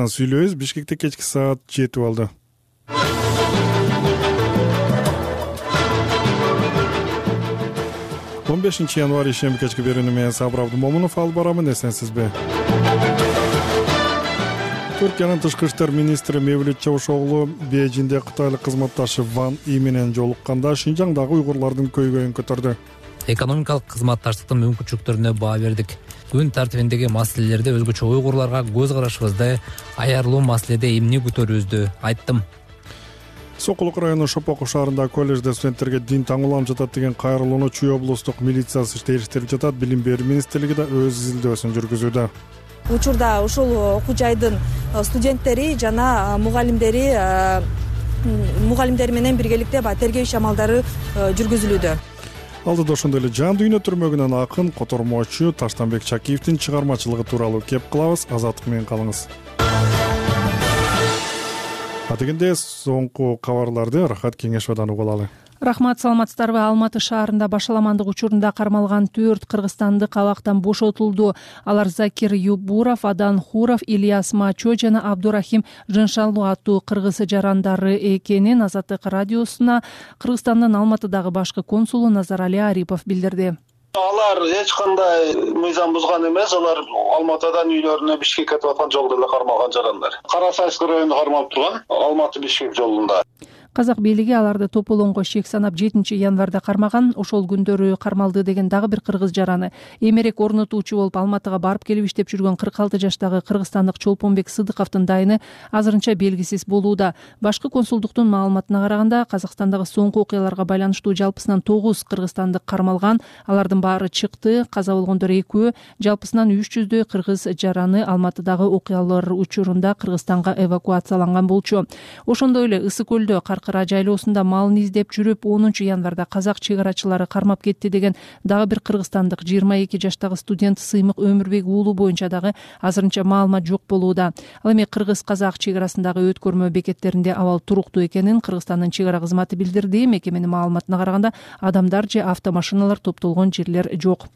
Сүйлөбүз. Бишкекте кечки саат 7 болду. Он 5 январь ишемби кечки берүүнү менен Сабыр Абдымомунов алып барамын. Эсенсизби? Түркиянын тышкы иштер министри Мевлют Чавушоглу Бейжиңде кытайлык кызматташы Ван И менен жолукканда Шинжаңдагы уйгурлардын көйгөйүн көтөрдү. Экономикалык кызматташтыктын мүмкүнчүлүктөрүнө баа бердик. Күн тартибиндеги маселелерде өзгөчө уйгурларга көз карашыбызды, аярлуу маселеде эмне көтөрүүбүздү айттым. Сокулук району Шопоков шаарында коллежде студенттерге дин таңууланып жатат деген кайрылууну Чүй облустук милициясы териштирип жатат. Билим берүү министрлиги да өз изилдөөсүн жүргүзүүдө. Учурда ушул окуу жайдын студенттери жана мугалимдери менен биргеликте тергөө иш амалдары жүргүзүлүүдө. Алдыда ошондой эле Жан дүйнө түрмөгүнөн акын котормочу Таштанбек Чакиевдин чыгармачылыгы тууралуу кеп кылабыз. Азаттык менен калыңыз. Дегенде соңку кабарларды Рахат Кеңешовдон угуп алалы. Рахмат, саламатсыздарбы? Алматы шаарында башаламандык учурунда кармалган 4 кыргызстандык абактан бошотулду. Алар Закир Юбуров, Адан Хуров, Ильяс Мачо жана Абдурахим Жыншалуу аттуу кыргыз жарандары экенин Азаттык радиосуна Кыргызстандын Алматыдагы башкы консулу Назарали Арипов билдирди. Алар эч кандай мыйзам бузган эмес. Алар Алматыдан үйлөрүнө Бишкекке кетип аткан жолдо эле кармалган жарандар. Кара Сайскы районунда кармалып турган Алматы Бишкек жолунда. Казак бийлиги аларды тополоңго шек санап 7 январда кармаган. Ошол күндөрү кармалды деген дагы бир кыргыз жараны. Эмерек орнотуучу болуп Алматыга барып келип иштеп жүргөн 46 жаштагы кыргызстандык Чолпонбек Сыдыковдун дайыны азырынча белгисиз болууда. Башкы консулдуктун маалыматына караганда, Казакстандагы соңку окуяларга байланыштуу жалпысынан 9 кыргызстандык кармалган. Алардын баары чыкты. Каза болгондор 2, жалпысынан 300дөй кыргыз жараны Алматыдагы окуялар учурунда Кыргызстанга эвакуацияланган болчу. Ошондой эле Ысык көлдө Каркыра жайлоосунда малын издеп жүрүп 10 январда казак чек-арачылары кармап кетти деген дагы бир кыргызстандык 22 жаштагы студент Сыймык Өмүрбек уулу боюнча дагы азырынча маалымат жок болууда. Ал эми кыргыз-казак чек-арасындагы өткөрмө бекеттеринде абал туруктуу экенин Кыргызстандын чек-ара кызматы билдирди. Мекеменин маалыматына караганда адамдар же автомашиналар топтолгон жерлер жок.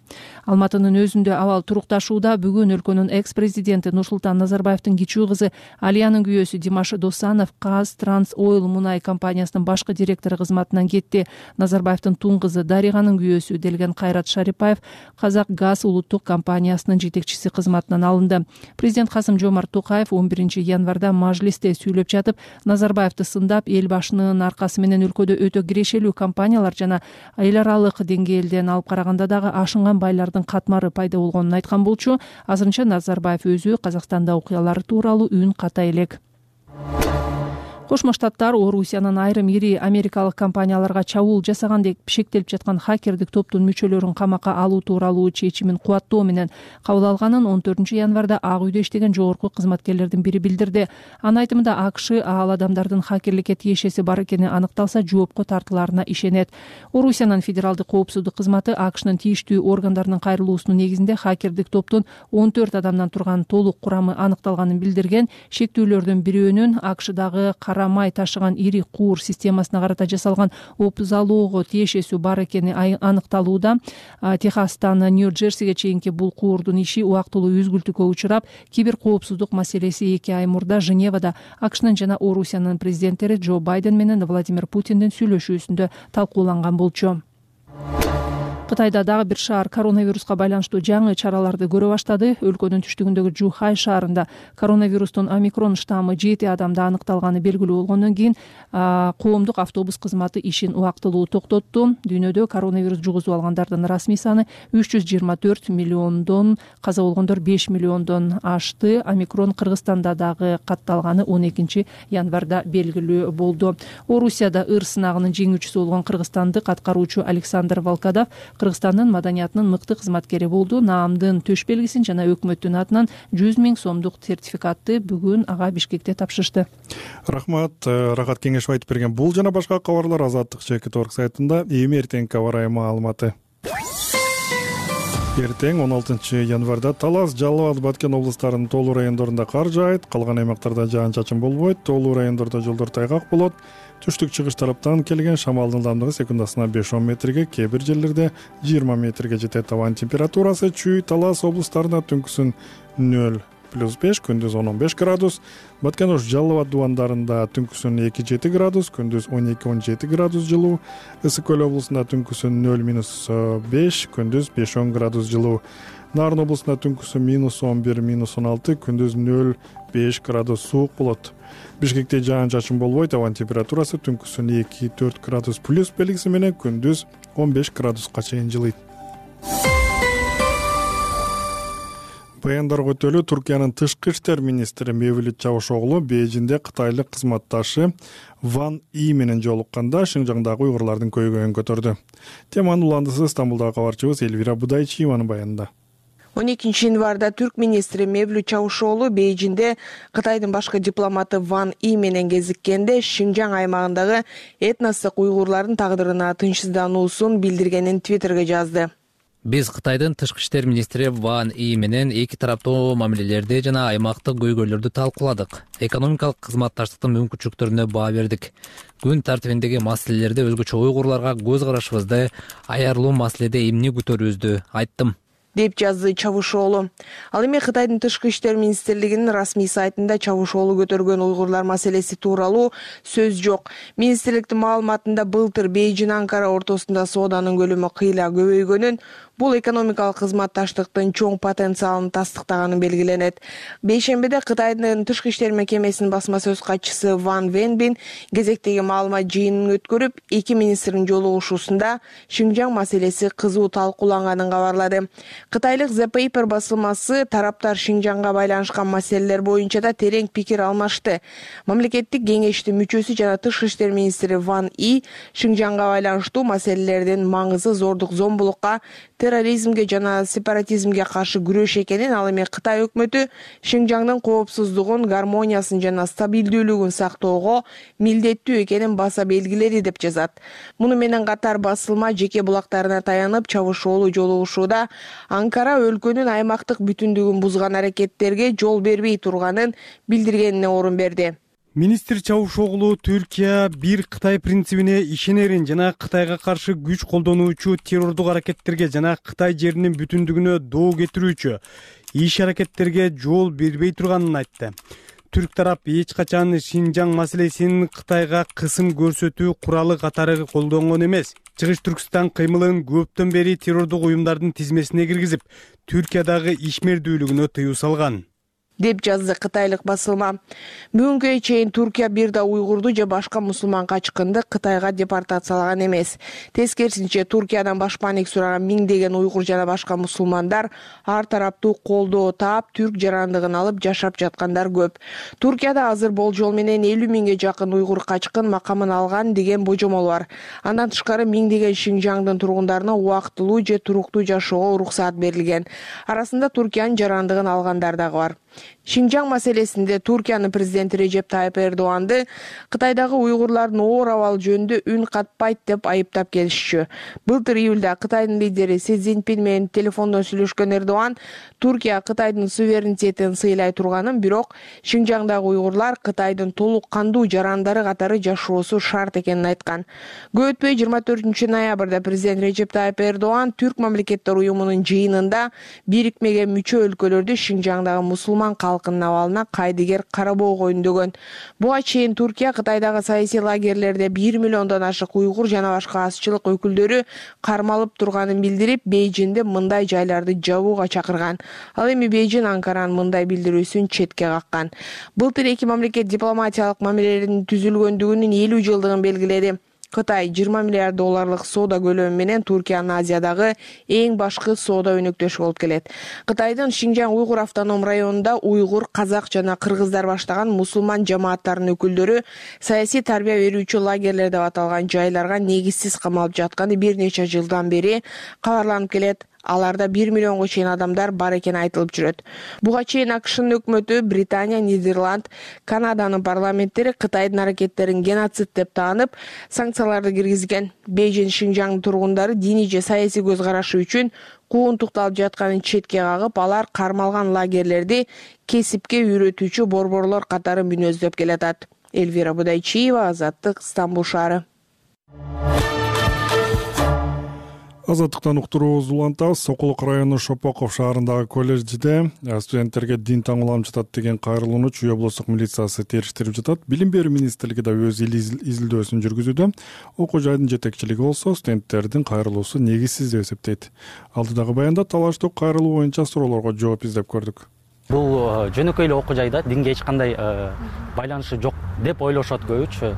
Алматынын өзүндө абал турукташууда. Бүгүн өлкөнүн экс-президенти Нурсултан Назарбаевдин кичүү кызы Алиянын күйөөсү Димаш Досанов Каз Транс Ойл мунай компаниясынын башкы директору кызматынан кетти. Назарбаевдин тун кызы Дариганын күйөөсү Делген Кайрат Шарипаев Казак Газ улуттук компаниясынын жетекчиси кызматынан алынды. Президент Касым-Жомарт Токаев 11 январда мажлисте сүйлөп жатып, Назарбаевди сындап, эл башынын аркасы менен өлкөдө өтө кирешелүү компаниялар жана эл аралык деңгээлден алып караганда дагы ашынган байлардын катмары пайда болгонун айткан болчу. Азырынча Назарбаев өзү Казакстанда окуялар тууралуу үн ката элек. Кошмо Штаттар Орусиянын айрым ири америкалык компанияларга чабуул жасаган деп шектелип жаткан хакердик топтун мүчөлөрүн камакка алуу тууралуу чечимин кубаттоо менен кабыл алганын 14 январда Ак үйдө иштеген жогорку кызматкерлердин бири билдирди. Анын айтымында АКШ ал адамдардын хакерликке тиешеси бар экени аныкталса жоопко тартылаарына ишенет. Орусиянын федералдык коопсуздук кызматы АКШнын тийиштүү органдарынын кайрылуусунун негизинде хакердик топтун 14 адамдан турган толук курамы аныкталганын билдирген. Шектүүлөрдүн бирөөнүн АКШдагы кара май ташыган ири куур системасына карата жасалган опузалоого тиешеси бар экени аныкталууда. Техастан Нью-Джерсиге чейинки бул куурдун иши убактылуу үзгүлтүккө учурап, кибер коопсуздук маселеси 2 ай мурда Женевада АКШнын жана Орусиянын президенттери Джо Байден менен Владимир Путиндин сүйлөшүүсүндө талкууланган болчу. Кытайда дагы бир шаар коронавируска байланыштуу жаңы чараларды көрө баштады. Өлкөнүн түштүгүндөгү Жухай шаарында коронавирустун омикрон штаммы 7 адамда аныкталганы белгилүү болгондон кийин коомдук автобус кызматы ишин убактылуу токтотту. Дүйнөдө коронавирус жугузуп алгандардын расмий саны 324 миллиондон, каза болгондор 5 миллиондон ашты. Омикрон Кыргызстанда дагы катталганы 12 январда белгилүү болду. Орусияда ыр сынагынын жеңүүчүсү болгон кыргызстандык аткаруучу Александр Волкодав Кыргызстандын маданиятынын мыкты кызматкери болду. Наамдын төш белгисин жана өкмөттүн атынан 100 000 сомдук сертификатты бүгүн ага Бишкекте тапшырышты. Рахмат. Рахат Кеңешов айтып берген бул жана башка кабарлар Азаттык ЧК сайтында. Эми эртеңки аба ырайы маалыматы. Эртең 16 январда Талас, Жалал Абад, Баткен облустарынын тоолуу райондорунда кар жаайт, калган аймактарда жаан-чачын болбойт. Тоолуу райондордо жолдор тайгак болот. Түштүк-чыгыш тараптан келген шамалдын ылдамдыгы секундасына 5-10 метрге, кээ бир жерлерде 20 метрге жетет. Абанын температурасы Чүй, Талас облустарында түнкүсүн 0 +5, күндүз 10-15 градус. Баткен Ош Жалал Абад дубандарында түнкүсүн 2-7 градус, күндүз 12-17 градус жылуу. Ысык Көл облусунда түнкүсүн 0-5, күндүз 5-10 градус жылуу. Нарын облусунда түнкүсүн -11-16, күндүз 0-5 градус суук болот. Бишкекте жаан-чачын болбойт, абанын температурасы түнкүсүн 2-4 градус плюс белгиси менен күндүз 15 градуска чейин жылыйт. Баяндарга өтөлү Туркиянын тышкы иштер министри Мевлют Чавушоглу Бейжиңде кытайлык кызматташы Ван И менен жолукканда Шинжаңдагы уйгурлардын көйгөйүн көтөрдү. Теманын уландысы Стамбулдагы кабарчыбыз Элвира Будайчиеванын баянында. 12 январда түрк министри Мевлют Чавушоглу Бейжиңде Кытайдын башкы дипломаты Ван И менен кезиккенде Шинжаң аймагындагы этностук уйгурлардын тагдырына тынчсыздануусун билдиргенин Твиттерге жазды. Биз Кытайдын тышкы иштер министри Ван И менен эки тараптуу мамилелерди жана аймактык көйгөйлөрдү талкууладык. Экономикалык кызматташтыктын мүмкүнчүлүктөрүнө баа бердик. Күн тартибиндеги маселелерде өзгөчө уйгурларга көз карашыбызды, аярлуу маселеде эмне күтөрүүбүздү айттым, деп жазды Чавушоглу. Ал эми Кытайдын тышкы иштер министрлигинин расмий сайтында Чавушоглу көтөргөн уйгурлар маселеси тууралуу сөз жок. Министрликтин маалыматында былтыр Бейжиң Анкара ортосунда сооданын көлөмү кыйла көбөйгөнүн, бул экономикалык кызматташтыктын чоң потенциалын тастыктаганын белгиленет. Бейшембиде Кытайдын тышкы иштер мекемесинин басма сөз катчысы Ван Венбин кезектеги маалымат жыйынын өткөрүп, эки министрдин жолугушуусунда Шинжаң маселеси кызуу талкууланганын кабарлады. Кытайлык The Paper басылмасы тараптар Шинжаңга байланышкан маселелер боюнча да терең пикир алмашты. Мамлекеттик кеңештин мүчөсү жана тышкы иштер министри Ван И Шинжаңга байланыштуу маселелердин маңызы зордук зомбулукка, терроризмге жана сепаратизмге каршы күрөш экенин, ал эми Кытай өкмөтү Шинжаңдын коопсуздугун, гармониясын жана стабилдүүлүгүн сактоого милдеттүү экенин баса белгиледи деп жазат. Муну менен катар басылма жеке булактарына таянып Чавушоглу жолугушууда Анкара өлкөнүн аймактык бүтүндүгүн бузган аракеттерге жол бербей турганын билдиргенине орун берди. Министр Чавушоглу Түркия бир Кытай принцибине ишенерин жана Кытайга каршы күч колдонуучу террордук аракеттерге жана Кытай жеринин бүтүндүгүнө доо кетирүүчү иш аракеттерге жол бербей турганын айтты. Түрк тарап эч качан Шинжаң маселесин Кытайга кысым көрсөтүү куралы катары колдонгон эмес. Чыгыш Түркстан кыймылын көптөн бери террордук уюмдардын тизмесине киргизип, Түркиядагы ишмердүүлүгүнө тыюу салган, деп жазды кытайлык басылма. Бүгүнкү чейин Туркия бир да уйгурду же башка мусулман качкынды Кытайга депортациялаган эмес. Тескерисинче Туркиядан башпаанек сураган миңдеген уйгур жана башка мусулмандар ар тараптуу колдоо таап, түрк жарандыгын алып жашап жаткандар көп. Туркияда азыр болжол менен 50 миңге жакын уйгур качкын макамын алган деген божомол бар. Андан тышкары миңдеген Шинжаңдын тургундарына убактылуу же туруктуу жашоого уруксаат берилген. Арасында Туркиянын жарандыгын алгандар дагы бар. Шинжаң маселесинде Туркиянын президенти Режеп Тайып Эрдоганды Кытайдагы уйгурлардын оор абалы жөнүндө үн катпайт деп айыптап келишчү. Былтыр июлда Кытайдын лидери Си Цзиньпин менен телефондон сүйлөшкөн Эрдоган Туркия Кытайдын суверенитетин сыйлай турганын, бирок Шинжаңдагы уйгурлар Кытайдын толук кандуу жарандары катары жашоосу шарт экенин айткан. Көп өтпөй 24 ноябрда президент Режеп Тайып Эрдоган Түрк мамлекеттер уюмунун жыйынында бирикмеге мүчө өлкөлөрдү Шинжаңдагы мусулман калкынын абалына кайдыгер карабоого үндөгөн. Буга чейин Туркия Кытайдагы саясий лагерлерде 1 миллиондон ашык уйгур жана башка азчылык өкүлдөрү кармалып турганын билдирип, Бейжиңде мындай жайларды жабууга чакырган. Ал эми Бейжиң Анкаранын мындай билдирүүсүн четке каккан. Былтыр эки мамлекет дипломатиялык мамилелердин түзүлгөндүгүнүн 50 жылдыгын белгиледи. Кытай 20 миллиард долларлык соода көлөмү менен Туркиянын Азиядагы эң башкы соода өнөктөшү болуп келет. Кытайдын Шинжаң уйгур автоном районунда уйгур, казак жана кыргыздар баштаган мусулман жамааттарынын өкүлдөрү саясий тарбия берүүчү лагерлер деп аталган жайларга негизсиз камалып жатканы бир нече жылдан бери кабарланып келет. Аларда 1 миллионго чейин адамдар бар экени айтылып жүрөт. Буга чейин АКШнын өкмөтү, Британия, Нидерланд, Канаданын парламенттери Кытайдын аракеттерин геноцид деп таанып, санкцияларды киргизген. Бейжиң Шинжаң тургундары диний же саясий көз карашы үчүн кууntукталып жатканын четке кагып, алар кармалган лагерлерди кесипке үйрөтүүчү борборлор катары мүнөздөп келатат. Элвира Будайчиева, Азаттык, Стамбул шаары. Азаттыктан уктуруубузду улантабыз. Сокулук району Шопоков шаарындагы колледжде студенттерге дин таңууланып жатат деген кайрылууну Чүй облустук милициясы териштирип жатат. Билим берүү министрлиги да өз изилдөөсүн жүргүзүүдө. Окуу жайдын жетекчилиги болсо студенттердин кайрылуусу негизсиз деп эсептейт. Алдыдагы баянда талаштуу кайрылуу боюнча суроолорго жооп издеп көрдүк. Бул жөнөкөй эле окуу жайда динге эч кандай байланышы жок деп ойлошот көбүчү.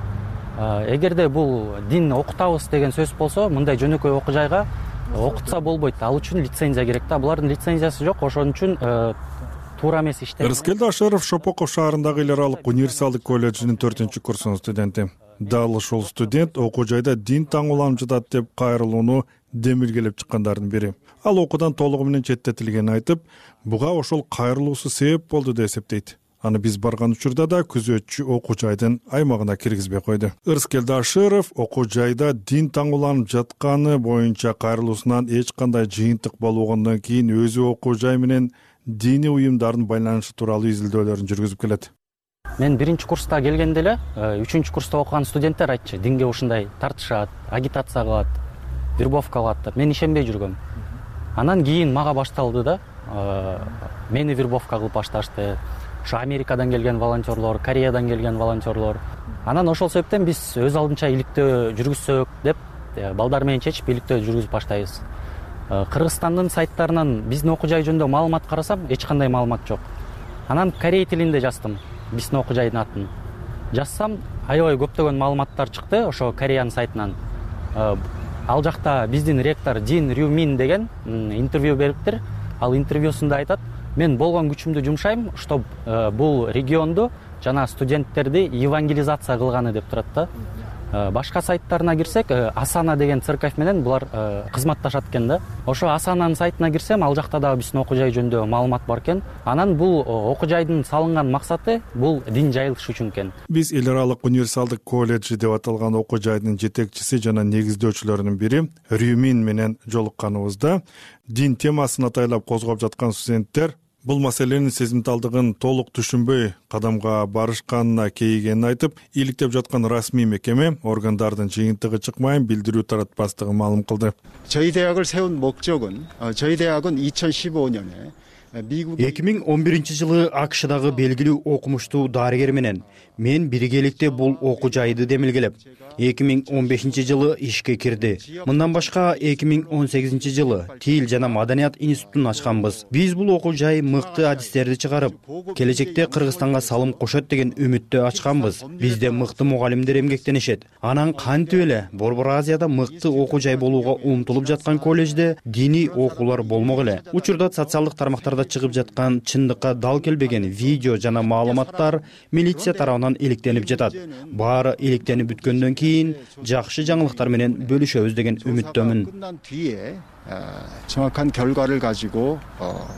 Эгерде бул дин окутабыз деген сөз болсо, мындай жөнөкөй окуу жайга окутса болбойт. Ал үчүн лицензия керек да. Булардын лицензиясы жок, ошон үчүн туура эмес иштер. Рыскелди Ашыров Шопоков шаарындагы эл аралык универсалдык колледжинин 4-курсунун студенти. Дал ушул студент окуу жайда дин таңууланып жатат деп кайрылууну демилгелеп чыккандардын бири. Ал окуудан толугу менен четтетилгенин айтып, буга ошол кайрылуусу себеп болду деп эсептейт. Аны биз барган учурда да күзөтчү окуу жайдын аймагына киргизбей койду. Рыскелди Ашыров окуу жайда дин таңууланып жатканы боюнча кайрылуусунан эч кандай жыйынтык болбогондон кийин өзү окуу жай менен диний уюмдардын байланышы тууралуу изилдөөлөрүн жүргүзүп келет. Мен 1-курста келгенде эле 3-курста окуган студенттер айтчу, динге ушундай тартышат, агитация кылат, вербовка кылат деп. Мен ишенбей жүргөм. Анан кийин мага башталды да, мени вербовка кылып башташты. Ошо Америкадан келген волонтерлор, Кореядан келген волонтерлор. Анан ошол себептен биз өз алдынча иликтөө жүргүзсөк деп балдар менен чечип иликтөө жүргүзүп баштайбыз. Кыргызстандын сайттарынан биздин окуу жай жөнүндө маалымат карасам, эч кандай маалымат жок. Анан корей тилинде жаздым биздин окуу жайдын атын. Жазсам, аябай көптөгөн маалыматтар чыкты ошо Кореянын сайтынан. Ал жакта биздин ректор Дин Рюмин деген интервью бериптир. Ал интервьюсунда айтат: мен болгон күчүмдү жумшайм, чтоб бул регионду жана студенттерди евангелизация кылганы деп турат да. Башка сайттарына кирсек, Асана деген церковь менен булар кызматташат экен да. Ошо Асананын сайтына кирсем, ал жакта дагы биздин окуу жай жөнүндө маалымат бар экен. Анан бул окуу жайдын салынган максаты бул дин жайылыш үчүн экен. Биз эл аралык универсалдык колледжи деп аталган окуу жайдын жетекчиси жана негиздөөчүлөрүнүн бири Рюмин менен жолукканыбызда дин темасын атайлап козгоп жаткан студенттер бул маселенин сезимталдыгын толук түшүнбөй кадамга барышканына кейигенин айтып, иликтеп жаткан расмий мекеме органдардын жыйынтыгы чыкмайын билдирүү таратпастыгын маалым кылды. 저희 대학을 세운 목적은 저희 대학은 2015년에 2011 АКШдагы белгилүү окумуштуу дарыгер менен мен биргеликте бул окуу жайды демилгелеп, 2015 ишке кирди. Мындан башка 2018 Тил жана маданият институтун ачканбыз. Биз бул окуу жай мыкты адистерди чыгарып, келечекте Кыргызстанга салым кошот деген үмүттө ачканбыз. Бизде мыкты мугалимдер эмгектенишет. Анан кантип эле Борбор Азияда мыкты окуу жай болууга умтулуп жаткан колледжде диний окуулар болмок эле. Учурда социалдык тармактарда чыгып жаткан чындыкка дал келбеген видео жана маалыматтар милиция тарабынан иликтенип жатат. Баары иликтенип бүткөндөн кийин жакшы жаңылыктар менен бөлүшөбүз деген үмүттөмүн. 정확한 결과를 가지고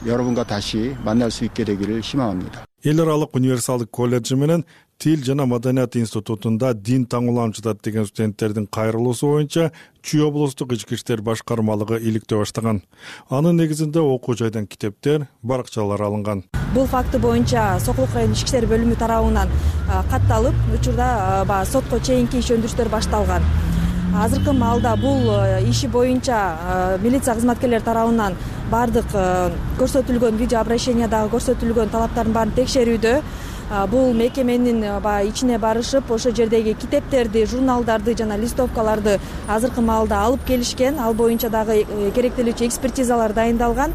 여러분과 다시 만날 수 있게 되기를 희망합니다. эл аралык универсалдык колледжи менен Тил жана маданият институтунда дин таңууланып жатат деген студенттердин кайрылуусу боюнча Чүй облустук ички иштер башкармалыгы иликтөө баштаган. Анын негизинде окуу жайдан китептер, баракчалар алынган. Бул факты боюнча Сокулук райондук ички иштер бөлүмү тарабынан катталып, учурда сотко чейинки иш өндүрүштөр башталган. Азыркы маалда бул иши боюнча милиция кызматкерлери тарабынан бардык көрсөтүлгөн видео обращениядагы көрсөтүлгөн талаптардын баарын текшерүүдө. Бул мекеменин ичине барышып, ошол жердеги китептерди, журналдарды жана листовкаларды азыркы маалда алып келишкен. Ал боюнча дагы керектелүүчү экспертизалар дайындалган.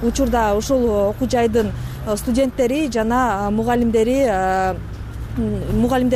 Учурда ушул окуу жайдын студенттери жана мугалимдери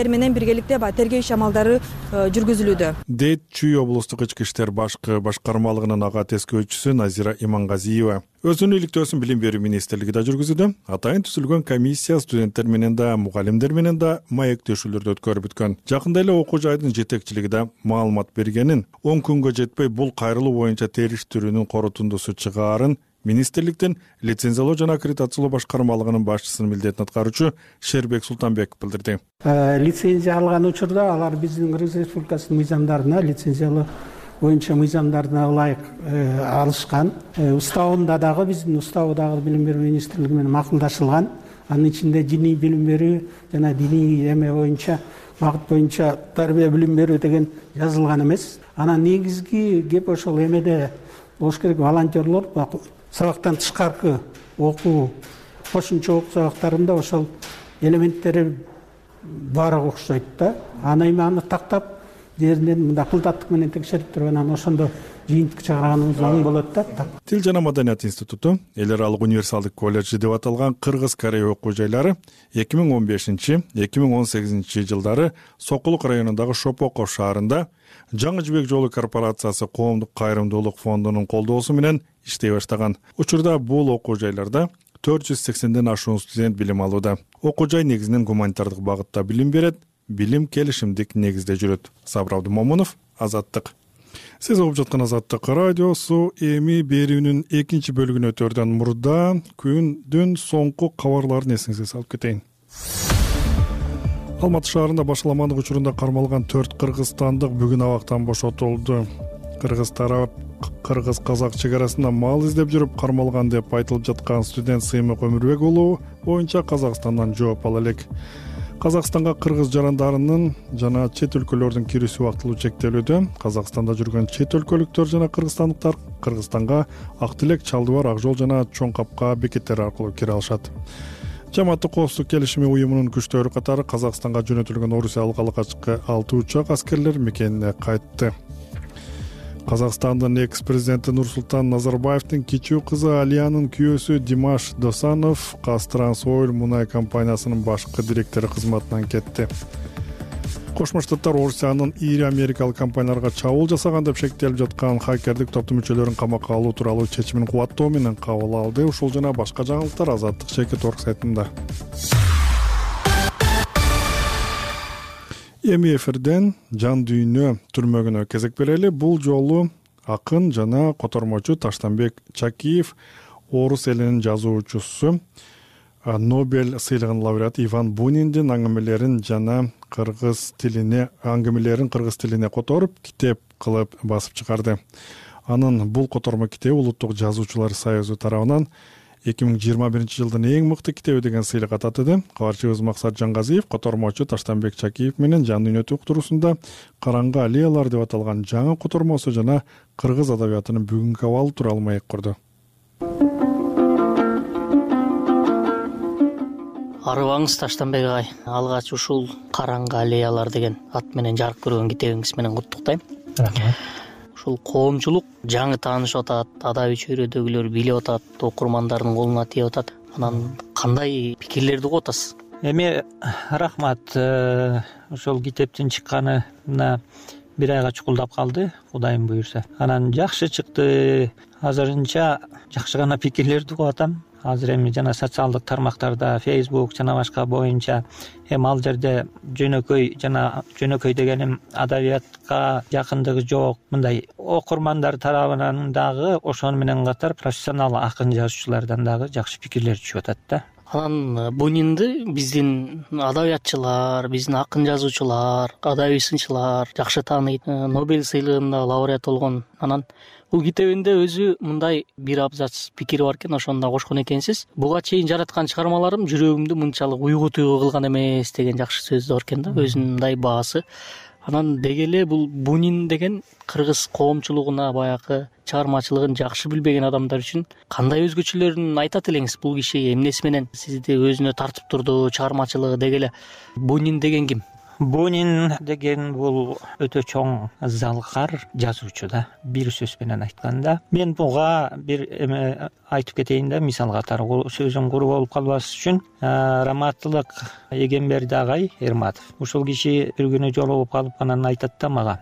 менен биргеликте тергөө иш амалдары жүргүзүлүүдө. Дейт Чүй облустук ички иштер башкармалыгынын ага тескөөчүсү Назира Имангазиева. Өзүнүн иликтөөсүн Билим берүү министрлиги да жүргүзүүдө. Атайын түзүлгөн комиссия студенттер менен да, мугалимдер менен да маектешүүлөрдү өткөрүп бүткөн. Жакында эле окуу жайдын жетекчилиги да маалымат бергенин, 10 күнгө жетпей бул кайрылуу боюнча териштирүүнүн корутундусу чыгаарын министрликтин лицензиялоо жана аккредитациялоо башкармалыгынын башчысынын милдетин аткаруучу Шербек Султанбеков билдирди. Лицензия алган учурда алар биздин Кыргыз Республикасынын мыйзамдарына, лицензиялоо боюнча мыйзамдарына ылайык алышкан. Уставында дагы биздин уставы дагы Билим берүү министрлиги менен макулдашылган. Анын ичинде диний билим берүү жана диний эме боюнча багыт боюнча тарбия билим берүү деген жазылган эмес. Анан негизги кеп ошол эмеде болуш керек. Волонтерлор сабактан тышкаркы окуу, кошумча окуу сабактарында ошол элементтери баары окшойт да. Аны эми тактап жеринен мындай кылдаттык менен текшерип туруп анан ошондо жыйынтык чыгарганыбыз оң болот да. Тил жана маданият институту эл аралык универсалдык колледжи деп аталган Кыргыз Корея окуу жайлары 2015-2018 жылдары Сокулук районундагы Шопоков шаарында Жаңы жибек жолу корпорациясы коомдук кайрымдуулук фондунун колдоосу менен иштей баштаган. Учурда бул окуу жайларда 480ден ашуун студент билим алууда. Окуу жай негизинен гуманитардык багытта билим берет, билим келишимдик негизде жүрөт. Сабыр Абдумомунов, Азаттык. Сиз угуп жаткан Азаттык радиосу эми берүүнүн экинчи бөлүгүнө өтөрдөн мурда күндүн соңку кабарларын эсиңизге салып кетейин. Алматы шаарында башаламандык учурунда кармалган 4 кыргызстандык бүгүн абактан бошотулду. Кыргыз тарап кыргыз-казак чек арасында мал издеп жүрүп кармалган деп айтылып жаткан студент Сыймык Өмүрбек уулу боюнча Казакстандан жооп ала элек. Казакстанга кыргыз жарандарынын жана чет өлкөлөрдүн кирүүсү убактылуу чектелүүдө. Казакстанда жүргөн чет өлкөлүктөр жана кыргызстандыктар Кыргызстанга Ак Тилек, Чалдыбар, Ак Жол жана Чоң Капка бекеттери аркылуу кире алышат. Жамааттык коопсуздук келишими уюмунун күчтөрү катары Казакстанга жөнөтүлгөн Орусиялык алгачкы 6 учак аскерлер мекенине кайтты. Казакстандын экс-президенти Нурсултан Назарбаевдин кичүү кызы Алиянын күйөөсү Димаш Досанов Казтрансойл мунай компаниясынын башкы директору кызматынан кетти. Кошмо Штаттар Орусиянын ири америкалык компанияларга чабуул жасаган деп шектелип жаткан хакердик топтун мүчөлөрүн камакка алуу тууралуу чечимин кубаттоо менен кабыл алды. Ушул жана башка жаңылыктар Азаттык Шекет сайтында. Эми эфирден жан дүйнө түрмөгүнө кезек берели. Бул жолу акын жана котормочу Таштанбек Чакиев, орус элинин жазуучусу, Нобель сыйлыгынын лауреаты Иван Буниндин аңгемелерин жана кыргыз тилине которуп китеп кылып басып чыгарды. Анын бул котормо китеби Улуттук жазуучулар союзу тарабынан 2021 жылдын эң мыкты китеби деген сыйлыкка татыды. Кабарчыбыз Максат Жангазиев котормочу Таштанбек Чакиев менен жан дүйнө уктуруусунда Караңгы аллеялар деп аталган жаңы котормосу жана кыргыз адабиятынын бүгүнкү абалы тууралуу маек курду. Арыбаңыз Таштанбек агай, алгач ушул Караңгы аллеялар деген ат менен жарык көргөн китебиңиз менен куттуктайм. Рахмат. Ушул коомчулук жаңы таанышып атат, адабий чөйрөдөгүлөр билип атат, окурмандардын колуна тийип атат. Анан кандай пикирлерди угуп атасыз? Эми рахмат, ошол китептин чыкканына бир айга чукулдап калды, Кудайым буйрса. Анан жакшы чыкты. Азырынча жакшы гана пикирлерди угуп атам. Азыр эми жана социалдык тармактарда, Facebook жана башка боюнча эми ал жерде жөнөкөй дегеним адабиятка жакындыгы жок, мындай окурмандар тарабынан дагы ошону менен катар профессионал акын жазуучулардан дагы жакшы пикирлер түшүп атат да. Анан Бунинди биздин адабиятчылар, биздин акын жазуучулар, адабий сынчылар жакшы тааныйт. Нобель сыйлыгында лауреат болгон. Анан бул китебинде өзү мындай бир абзац пикири бар экен, ошону да кошкон экенсиз. Буга чейин жараткан чыгармаларым жүрөгүмдү мынчалык уйгу-туйгу кылган эмес деген жакшы сөз бар экен да, өзүнүн мындай баасы. Анан деги эле бул Бунин деген кыргыз коомчулугуна баягы чыгармачылыгын жакшы билбеген адамдар үчүн кандай өзгөчөлөрүн айтат элеңиз? Бул киши эмнеси менен сизди өзүнө тартып турду, чыгармачылыгы деги эле? Бунин деген ким? Бунин деген бул өтө чоң залкар жазуучу да, бир сөз менен айтканда. Мен буга бир эме айтып кетейин да, мисал катары сөзүм куру болуп калбас үчүн. Раматтылык Эгемберди агай Эрматов. Ушул киши бир күнү жолугуп калып анан айтат да мага: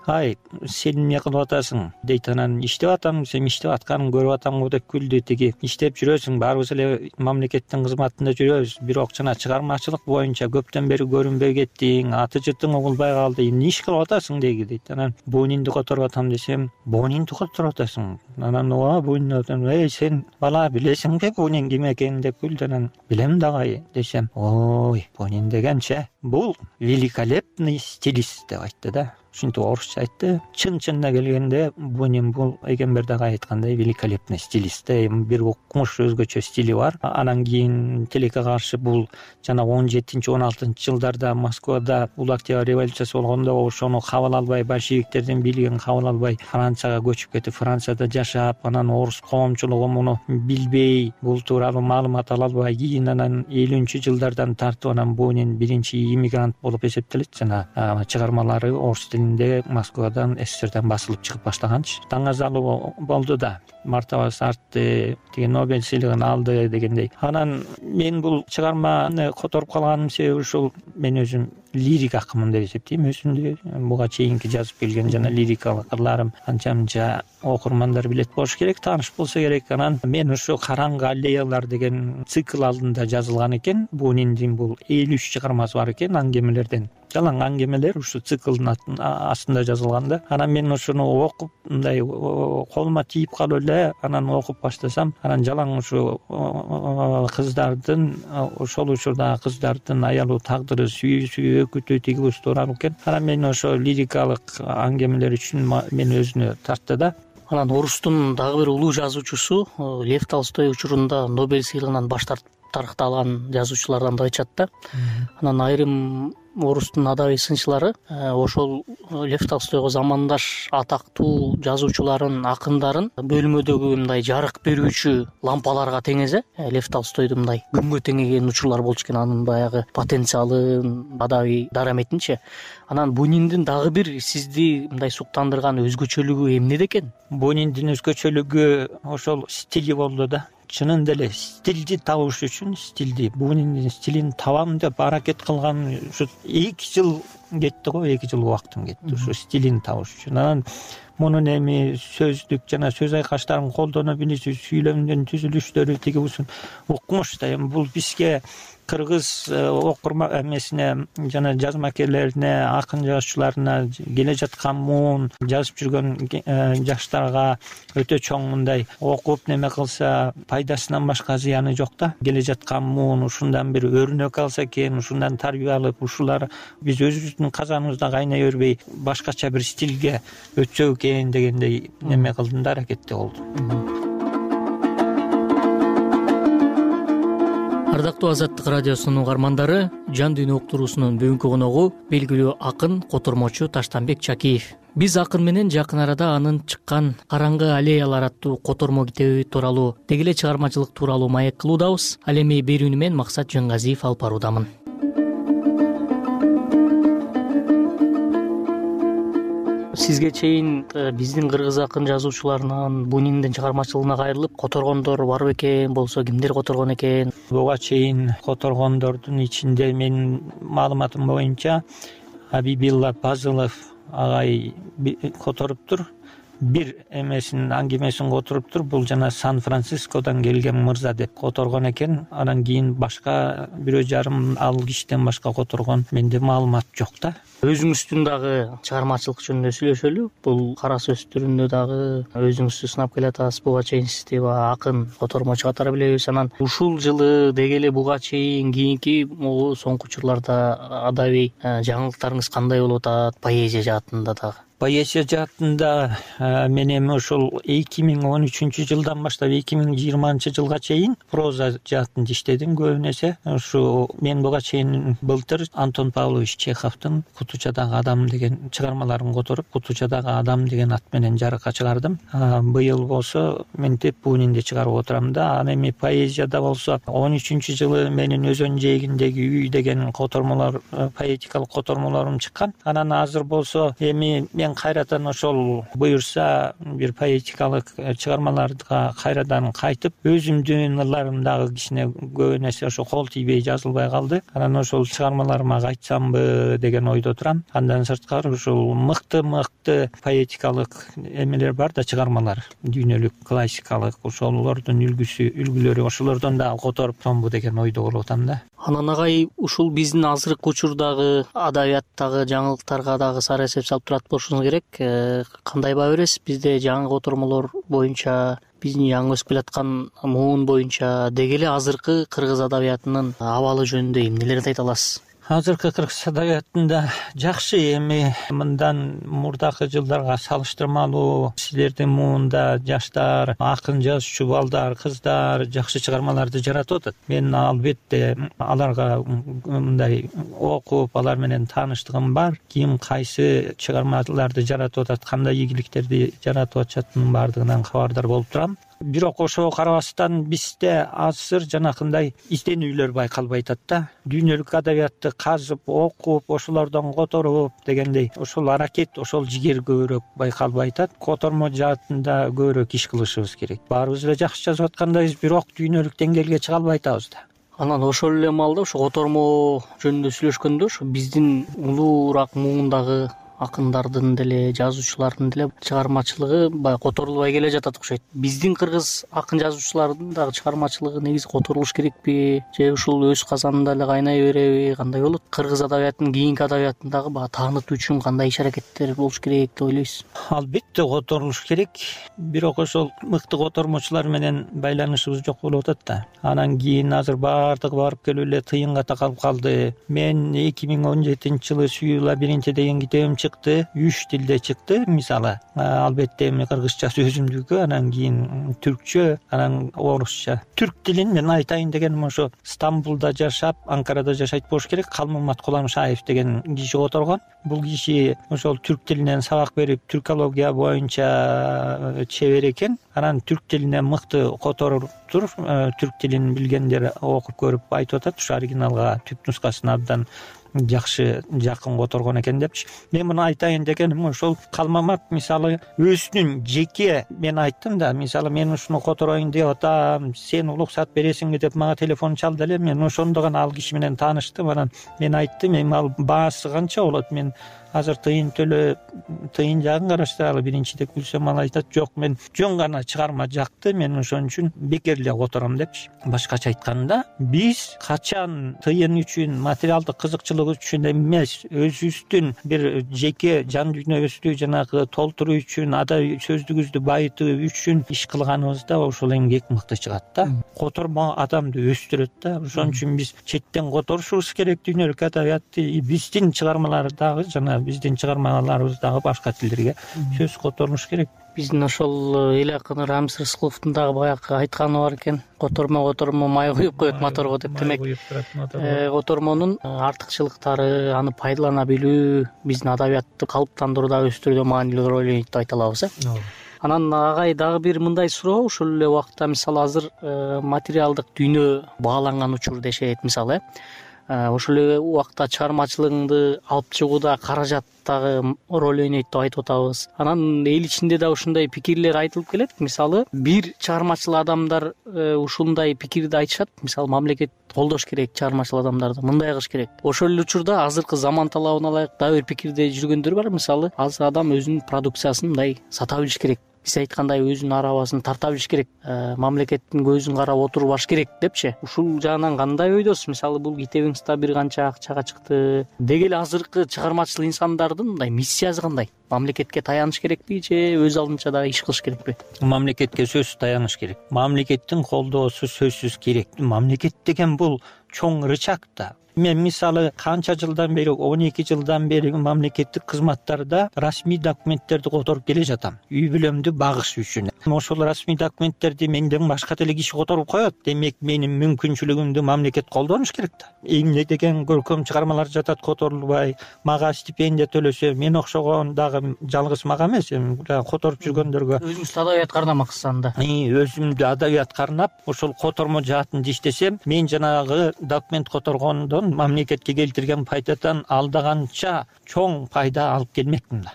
"Ай, сен эмне кылып атасың?" дейт. Анан "Иштеп атам, сен иштеп атканын көрүп атам" деп күлдү. Тиги "Иштеп жүрөсүң, баарыбыз эле мамлекеттин кызматында жүрөбүз, бирок жана чыгармачылык боюнча көптөн бери көрүнбөй кеттиң, аты жытың угулбай калды, эмне иш кылып атасың" дейт. Анан "Бунинди которуп атам" десем, "Бунинди которуп атасың?" Анан "Бунин, сен бала билесиңби Бунин ким экенин" деп күлдү. Анан "Билем дагы" десем, "Ой, Бунин дегенче бул великолепный стилист" деп айтты да. ушинтип орусча айтты. Чынына келгенде Бунин бул Эгембердеги айткандай великолепный стилист. Бир укмуш өзгөчө стили бар. Анан кийин тилекке каршы бул жана 17-16 жылдарда Москвада Улуу Октябрь революциясы болгондо ошону кабыл албай, большевиктердин бийлигин кабыл албай Францияга көчүп кетип, Францияда жашап, анан орус коомчулугу муну билбей, бул тууралуу маалымат ала албай, кийин анан 50-жылдардан тартып анан Бунин биринчи иммигрант болуп эсептелет. Жана чыгармалары орус тилинде Москвадан, СССРдан басылып чыгып баштаганчы. Таңазалуу болду да, мартабасы артты, тиги Нобель сыйлыгын алды дегендей. Анан мен бул чыгарманы которуп калганым себеби ушул, мен өзүм лирик акымын деп эсептейм. Өзүмдү буга чейинки жазып келген жана лирикалык ырларым анча-мынча окурмандар билет болуш керек, тааныш болсо керек. Анан мен ушу Караңгы аллеялар деген цикл алдында жазылган экен. Буниндин бул 53 чыгармасы бар экен, аңгемелерден. Жалаң аңгемелер ушу циклдын астында жазылганда. Анан мен ушуну окуп, мындай колума тийип калып эле, анан окуп баштасам, анан жалаң ушу кыздардын, ошол учурдагы кыздардын аялуу тагдыры, сүйүүсү, өкүтү, тиги тууралуу экен. Анан мен ошо лирикалык аңгемелер үчүн мени өзүнө тартты да. Анан орустун дагы бир улуу жазуучусу Лев Толстой учурунда Нобель сыйлыгынан баш тарыкталган жазуучулардан да айтышат да. Анан айрым орустун адабий сынчылары ошол Лев Толстойго замандаш атактуу жазуучуларын, акындарын бөлмөдөгү мындай жарык берүүчү лампаларга теңезе. Лев Толстойду мындай күнгө теңеген учурлар болчу экен, анын баягы потенциалын, адабий дараметинчи. Анан Буниндин дагы бир сизди мындай суктандырган өзгөчөлүгү эмнеде экен? Буниндин өзгөчөлүгү ошол стили болду да. Чынында эле стилди табыш үчүн, Буниндин стилин табам деп аракет кылган ушу 2 жыл кетти го, 2 жыл убактым кетти ушу стилин табыш үчүн. Анан мунун эми сөздүк жана сөз айкаштарын колдоно билиши, сүйлөмдүн түзүлүштөрү тиги ушун укмуш да. Эми бул бизге кыргыз окурма эмесине жана жазмакерлерине, акын жазуучуларына, келе жаткан муун жазып жүргөн жаштарга өтө чоң мындай окуп неме кылса пайдасынан башка зыяны жок да. Келе жаткан муун ушундан бир өрнөк алса экен, ушундан тарбия алып, ушулар биз өзүбүздүн казаныбызда кайнай бербей башкача бир стилге өтсөк экен дегендей неме кылдым да, аракетте болдум. Ардактуу Азаттык радиосунун угармандары, Жан дүйнө уктуруусунун бүгүнкү коногу белгилүү акын, котормочу Таштанбек Чакиев. Биз акын менен жакын арада анын чыккан Караңгы аллеялар аттуу котормо китеби тууралуу, деги эле чыгармачылык тууралуу маек кылуудабыз. Ал эми берүүнү мен Максат Жангазиев алып баруудамын. Сизге чейин биздин кыргыз акын жазуучуларынан Буниндин чыгармачылыгына кайрылып которгондор бар бекен, болсо кимдер которгон экен? Буга чейин которгондордун ичинде менин маалыматым боюнча Абибилла Пазылов агай которуптур. Бир эмесин, аңгемесин которуптур. Бул жана Сан-Францискодон келген мырза деп которгон экен. Анан кийин башка 1,5 ал кишиден башка которгон менде маалымат жок да. Өзүңүздүн дагы чыгармачылык жөнүндө сүйлөшөлү. Бул кара сөз түрүндө дагы өзүңүздү сынап келатасыз. Буга чейин сизди акын, котормочу катары билебиз. Анан ушул жылы деги эле буга чейин кийинки соңку учурларда адабий жаңылыктарыңыз кандай болуп атат? Поэзия жаатында дагы. Поэзия жаатында мен эми ошол 2013 жылдан баштап 2020 жылга чейин проза жаатында иштедим көбүн эсе. Ушу мен буга чейин былтыр Антон Павлович Чеховдун Кутучадагы адам деген чыгармаларын которуп, Кутучадагы адам деген ат менен жарыкка чыгардым. Быйыл болсо ментип Бунинди чыгарып отурам да. Аны эми поэзияда болсо 13 жылы менин өзөн жээгиндеги үй деген котормолор, поэтикалык котормолорум чыккан. Анан азыр болсо эми мен кайрадан ошол буюрса бир поэтикалык чыгармаларга кайрадан кайтып, өзүмдүн ырларымдагы кичине көбүн эсе ошо кол тийбей жазылбай калды. Анан ошол чыгармаларыма кайтсамбы деген ойдо турам. Андан сырткары ушул мыкты поэтикалык эмелер бар да, чыгармалар, дүйнөлүк, классикалык, ошолордун үлгүлөрү, ошолордон дагы которуп томбу деген ойдо болуп атам да. Анан агай ушул биздин азыркы учурдагы адабияттагы жаңылыктарга дагы сары эсеп салып турат болушуңуз керек. Кандай баа бересиз? Бизде жаңы котормолор боюнча, биздин жаңы өсүп келаткан муун боюнча деги эле азыркы кыргыз адабиятынын абалы жөнүндө эмнелерди айта аласыз? азыркы кыргыз адабиятында жакшы, эми мындан мурдакы жылдарга салыштырмалуу силердин муунда жаштар, акын жазуучу балдар, кыздар жакшы чыгармаларды жаратып атат. Мен албетте аларга мындай окуп, алар менен тааныштыгым бар. Ким кайсы чыгармаларды жаратып атат, кандай ийгиликтерди жаратып атышатынын баардыгынан кабардар болуп турам. Бирок ошого карабастан бизде азыр жанакындай изденүүлөр байкалбай атат да. Дүйнөлүк адабиятты казып, окуп, ошолордон которуп дегендей ошол аракет, ошол жигер көбүрөөк байкалбай атат. Котормо жаатында көбүрөөк иш кылышыбыз керек. Баарыбыз эле жакшы жазып аткандайбыз, бирок дүйнөлүк деңгээлге чыга албай атабыз да. Анан ошол эле маалда ошо котормо жөнүндө сүйлөшкөндө ошо биздин улуураак муундагы акындардын деле, жазуучулардын деле чыгармачылыгы баягы которулбай келе жатат окшойт. Биздин кыргыз акын жазуучулардын дагы чыгармачылыгы негизи которулуш керекпи, же ушул өз казанында эле кайнай береби, кандай болот? Кыргыз адабиятынын кийинки адабиятын дагы баягы таанытуу үчүн кандай иш-аракеттер болуш керек деп ойлойсуз? Албетте которулуш керек, бирок ошол мыкты котормочулар менен байланышыбыз жок болуп атат да. Анан кийин азыр баардыгы барып келип эле тыйынга такалып калды. Мен 2017-жылы Сүйүү лабиринти деген китебим чыкты, 3 тилде чыкты. Мисалы, албетте эми кыргызча сөзүмдүкү, анан кийин түркчө, анан орусча. Түрк тилин мен айтайын дегеним ошо Стамбулда жашап, Анкарада жашайт болуш керек. Калмамат Куламшаев деген киши которгон. Бул киши ошол түрк тилинен сабак берип, түркология боюнча чебер экен. Анан түрк тилине мыкты которуптур. Түрк тилин билгендер окуп көрүп айтып атат, ушу оригиналга, түп нускасына абдан жакшы жакын которгон экен депчи. Мен муну айтайын дегеним ошол Калмамат мисалы өзүнүн жеке, мен айттым да, мисалы мен ушуну котороюн деп атам, сен уруксат бересиңби деп мага телефон чалды эле. Мен ошондо гана ал киши менен тааныштым. Анан мен айттым, эми ал баасы канча болот? Мен азыр тыйын төлөп, тыйын жагын караштыралы биринчи деп күлсөм, ал айтат, жок, мен жөн гана чыгарма жакты, мен ошон үчүн бекер эле котором депчи. Башкача айтканда, биз качан тыйын үчүн, материалдык кызыкчылык үчүн эмес, өзүбүздүн бир жеке жан дүйнөбүздү жанагы толтуруу үчүн, адабий сөздүгүбүздү байытуу үчүн иш кылганыбызда ошол эмгек мыкты чыгат да. Котормо адамды өстүрөт да. Ошон үчүн биз четтен которушубуз керек дүйнөлүк адабиятты. Биздин чыгармалар дагы жана биздин чыгармаларыбыз дагы башка тилдерге сөз которулуш керек. Биздин ошол эл акыны Рамис Рыскуловдун дагы баягы айтканы бар экен. Котормо май куюп коет моторго деп. Демек, котормонун артыкчылыктары, аны пайдалана билүү биздин адабиятты калыптандырууда, өстүрүүдө маанилүү роль ойнойт деп айта алабыз. Анан агай дагы бир мындай суроо, ошол эле убакта мисалы азыр материалдык дүйнө бааланган учурда жашайт мисалы. Ошол эле убакта чыгармачылыгыңды алып чыгууда каражат дагы роль ойнойт деп айтып атабыз. Анан эл ичинде да ушундай пикирлер айтылып келет. Мисалы, бир чыгармачыл адамдар ушундай пикирди айтышат. Мисалы, мамлекет колдош керек чыгармачыл адамдарды, мындай кылыш керек. Ошол эле учурда азыркы заман талабына ылайык дагы бир пикирде жүргөндөр бар. Мисалы, азыр адам өзүнүн продукциясын мындай сата билиш керек. Биз айткандай өзүнүн арабасын тарта билиш керек, мамлекеттин көзүн карап отуруп баш керек депчи. Ушул жагынан кандай ойдосуз? Мисалы, бул китебиңиз да бир канча акчага чыкты. Деги эле азыркы чыгармачыл инсандардын мындай миссиясы кандай? Мамлекетке таяныш керекпи же өз алдынча дагы иш кылыш керекпи? Мамлекетке сөзсүз таяныш керек. Мамлекеттин колдоосу сөзсүз керек. Мамлекет деген бул чоң рычаг да. Мен мисалы канча жылдан бери, 12 жылдан бери мамлекеттик кызматтарда расмий документтерди которуп келе жатам. Үй бүлөмдү багыш үчүн. Ошол расмий документтерди менден башка деле киши которуп коет. Демек, менин мүмкүнчүлүгүмдү мамлекет колдонуш керек да. Эмне деген көркөм чыгармалар жатат которулбай, мага стипендия төлөсө, мен окшогон дагы жалгыз мага эмес, которуп жүргөндөргө. Өзүңүздү адабият карнамаксыз анда. Өзүмдү адабият карнап, ошол котормо жаатында иштесем, мен жанагы документ которгондон мамлекетке келтирген пайдадан алдаганча чоң пайда алып келмекмин да.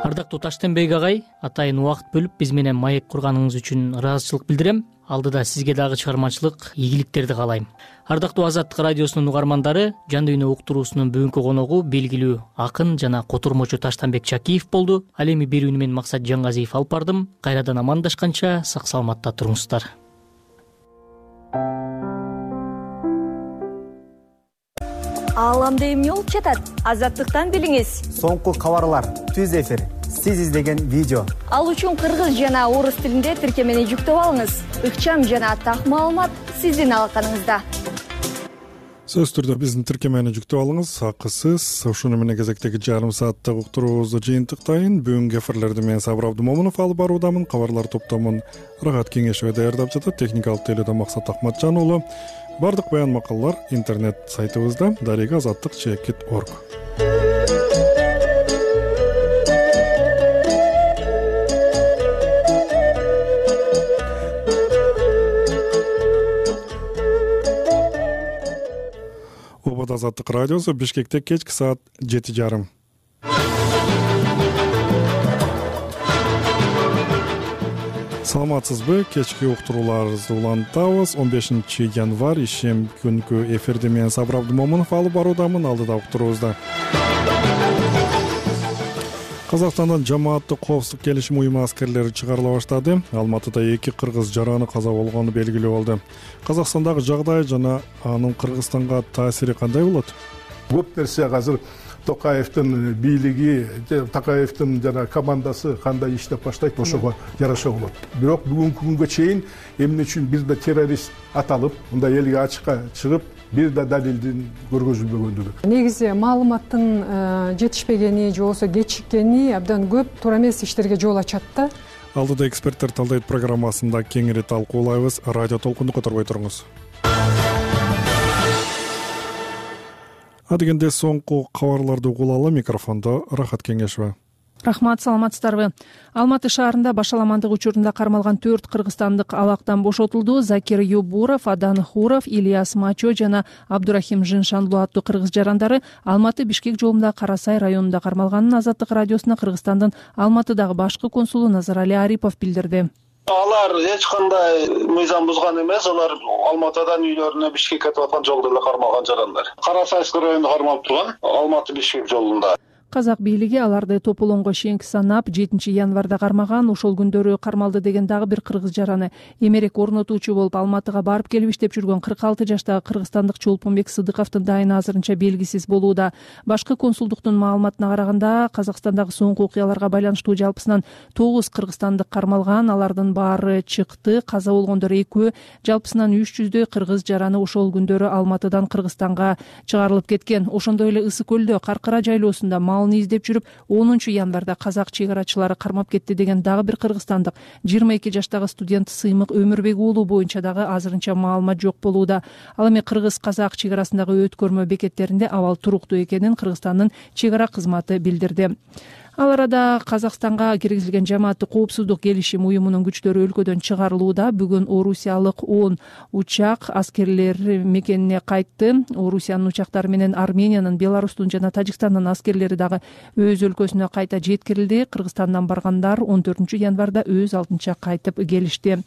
Ардактуу Таштенбек агай, атайын убакыт бөлүп биз менен маек курганыңыз үчүн ыраазычылык билдирем. Алдыда сизге дагы чыгармачылык ийгиликтерди каалайм. Ардактуу Азаттык радиосунун угармандары, Жан дүйнө уктуруусунун бүгүнкү коногу белгилүү акын жана котормочу Таштенбек Чакиев болду. Ал эми берүүнү мен Максат Жаңгазиев алып бардым. Кайрадан амандашканча сак саламатта туруңуздар. Ааламда эмне болуп жатат? Азаттыктан билиңиз. Соңку кабарлар, түз эфир, сиз издеген видео. Ал үчүн кыргыз жана орус тилинде тиркемени жүктөп алыңыз. Ыкчам жана так маалымат сиздин алаканыңызда. Сөзсүз түрдө биздин тиркемени жүктөп алыңыз, акысыз. Ушуну менен кезектеги жарым сааттык уктуруубузду жыйынтыктайын. Бүгүнкү эфирлерди мен Сабыр Абдымомунов алып баруудамын. Кабарлар топтомун Рахат Кеңешева даярдап жатат. Техникалык тейлөөдө Максат Акматжан уулу. Бардык баян макалалар интернет сайтыбызда daриga-azаттык.org. Обод Азаттык радиосу Бишкекте кечки саат 7:30. Саламатсызбы? Кечки уктурууларыбызды улантабыз. 15 январь ишем күнкү эфирди мен Сабыр Абдымомунов алып баруудамын. Алдыда уктуруубузда Казакстандан жамааттык коопсуздук келишим уюму аскерлери чыгарыла баштады. Алматыда 2 кыргыз жараны каза болгону белгилүү болду. Казакстандагы жагдай жана анын Кыргызстанга таасири кандай болот? Көп нерсе азыр Токаевдин бийлиги, Токаевдин жана командасы кандай иштеп баштайт, ошого жараша болот. Бирок бүгүнкү күнгө чейин эмне үчүн бир да террорист аталып, мындай элге ачыкка чыгып, бир да далилдин көргөзүлбөгөндүгү. Негизи маалыматтын жетишпегени же болбосо кечиккени абдан көп туура эмес иштерге жол ачат да. Алдыда эксперттер талдайт программасында кеңири талкуулайбыз. Радио толкунду которбой туруңуз. Адегенде соңку кабарларды угулалы. Микрофондо Рахат Кеңешева. Рахмат, саламатсыздарбы? Алматы шаарында башаламандык учурунда кармалган 4 кыргызстандык абактан бошотулду. Закир Юбуров, Адан Хуров, Ильяс Мачо жана Абдурахим Жиншанлуу аттуу кыргыз жарандары Алматы-Бишкек жолунда Карасай районунда кармалганын Азаттык радиосуна Кыргызстандын Алматыдагы башкы консулу Назарали Арипов билдирди. Алар эч кандай мыйзам бузган эмес, алар Алматыдан үйлөрүнө Бишкекке кетип аткан жолдо эле кармалган жарандар. Карасайский районунда кармалып турган Алматы-Бишкек жолунда. Казак бийлиги аларды тополонго чейинки санап 7 январда кармаган. Ошол күндөрү кармалды деген дагы бир кыргыз жараны эмерек орнотуучу болуп Алматыга барып келип иштеп жүргөн 46 жаштагы кыргызстандык Чолпонбек Сыдыковдун дайыны азырынча белгисиз болууда. Башкы консулдуктун маалыматына караганда, Казакстандагы соңку окуяларга байланыштуу жалпысынан 9 кыргызстандык кармалган. Алардын баары чыкты, каза болгондор 2, жалпысынан 300дөй кыргыз жараны ошол күндөрү Алматыдан Кыргызстанга чыгарылып кеткен. Ошондой эле Ысык көлдө Каркара жайлоосунда малын издеп жүрүп 10 январда казак чек-арачылары кармап кетти деген дагы бир кыргызстандык 22 жаштагы студент Сыймык Өмүрбек уулу боюнча дагы азырынча маалымат жок болууда. Ал эми кыргыз-казак чек-арасындагы өткөрмө бекеттеринде абал туруктуу экенин Кыргызстандын чек-ара кызматы билдирди. Ал арада Казакстанга киргизилген жамааттык коопсуздук келишим уюмунун күчтөрү өлкөдөн чыгарылууда. Бүгүн Орусиялык 10 учак аскерлер мекенине кайтты. Орусиянын учактары менен Армениянын, Беларустун жана Тажикстандын аскерлери дагы өз өлкөсүнө кайта жеткирилди. Кыргызстандан баргандар 14 январда өз алдынча кайтып келишти.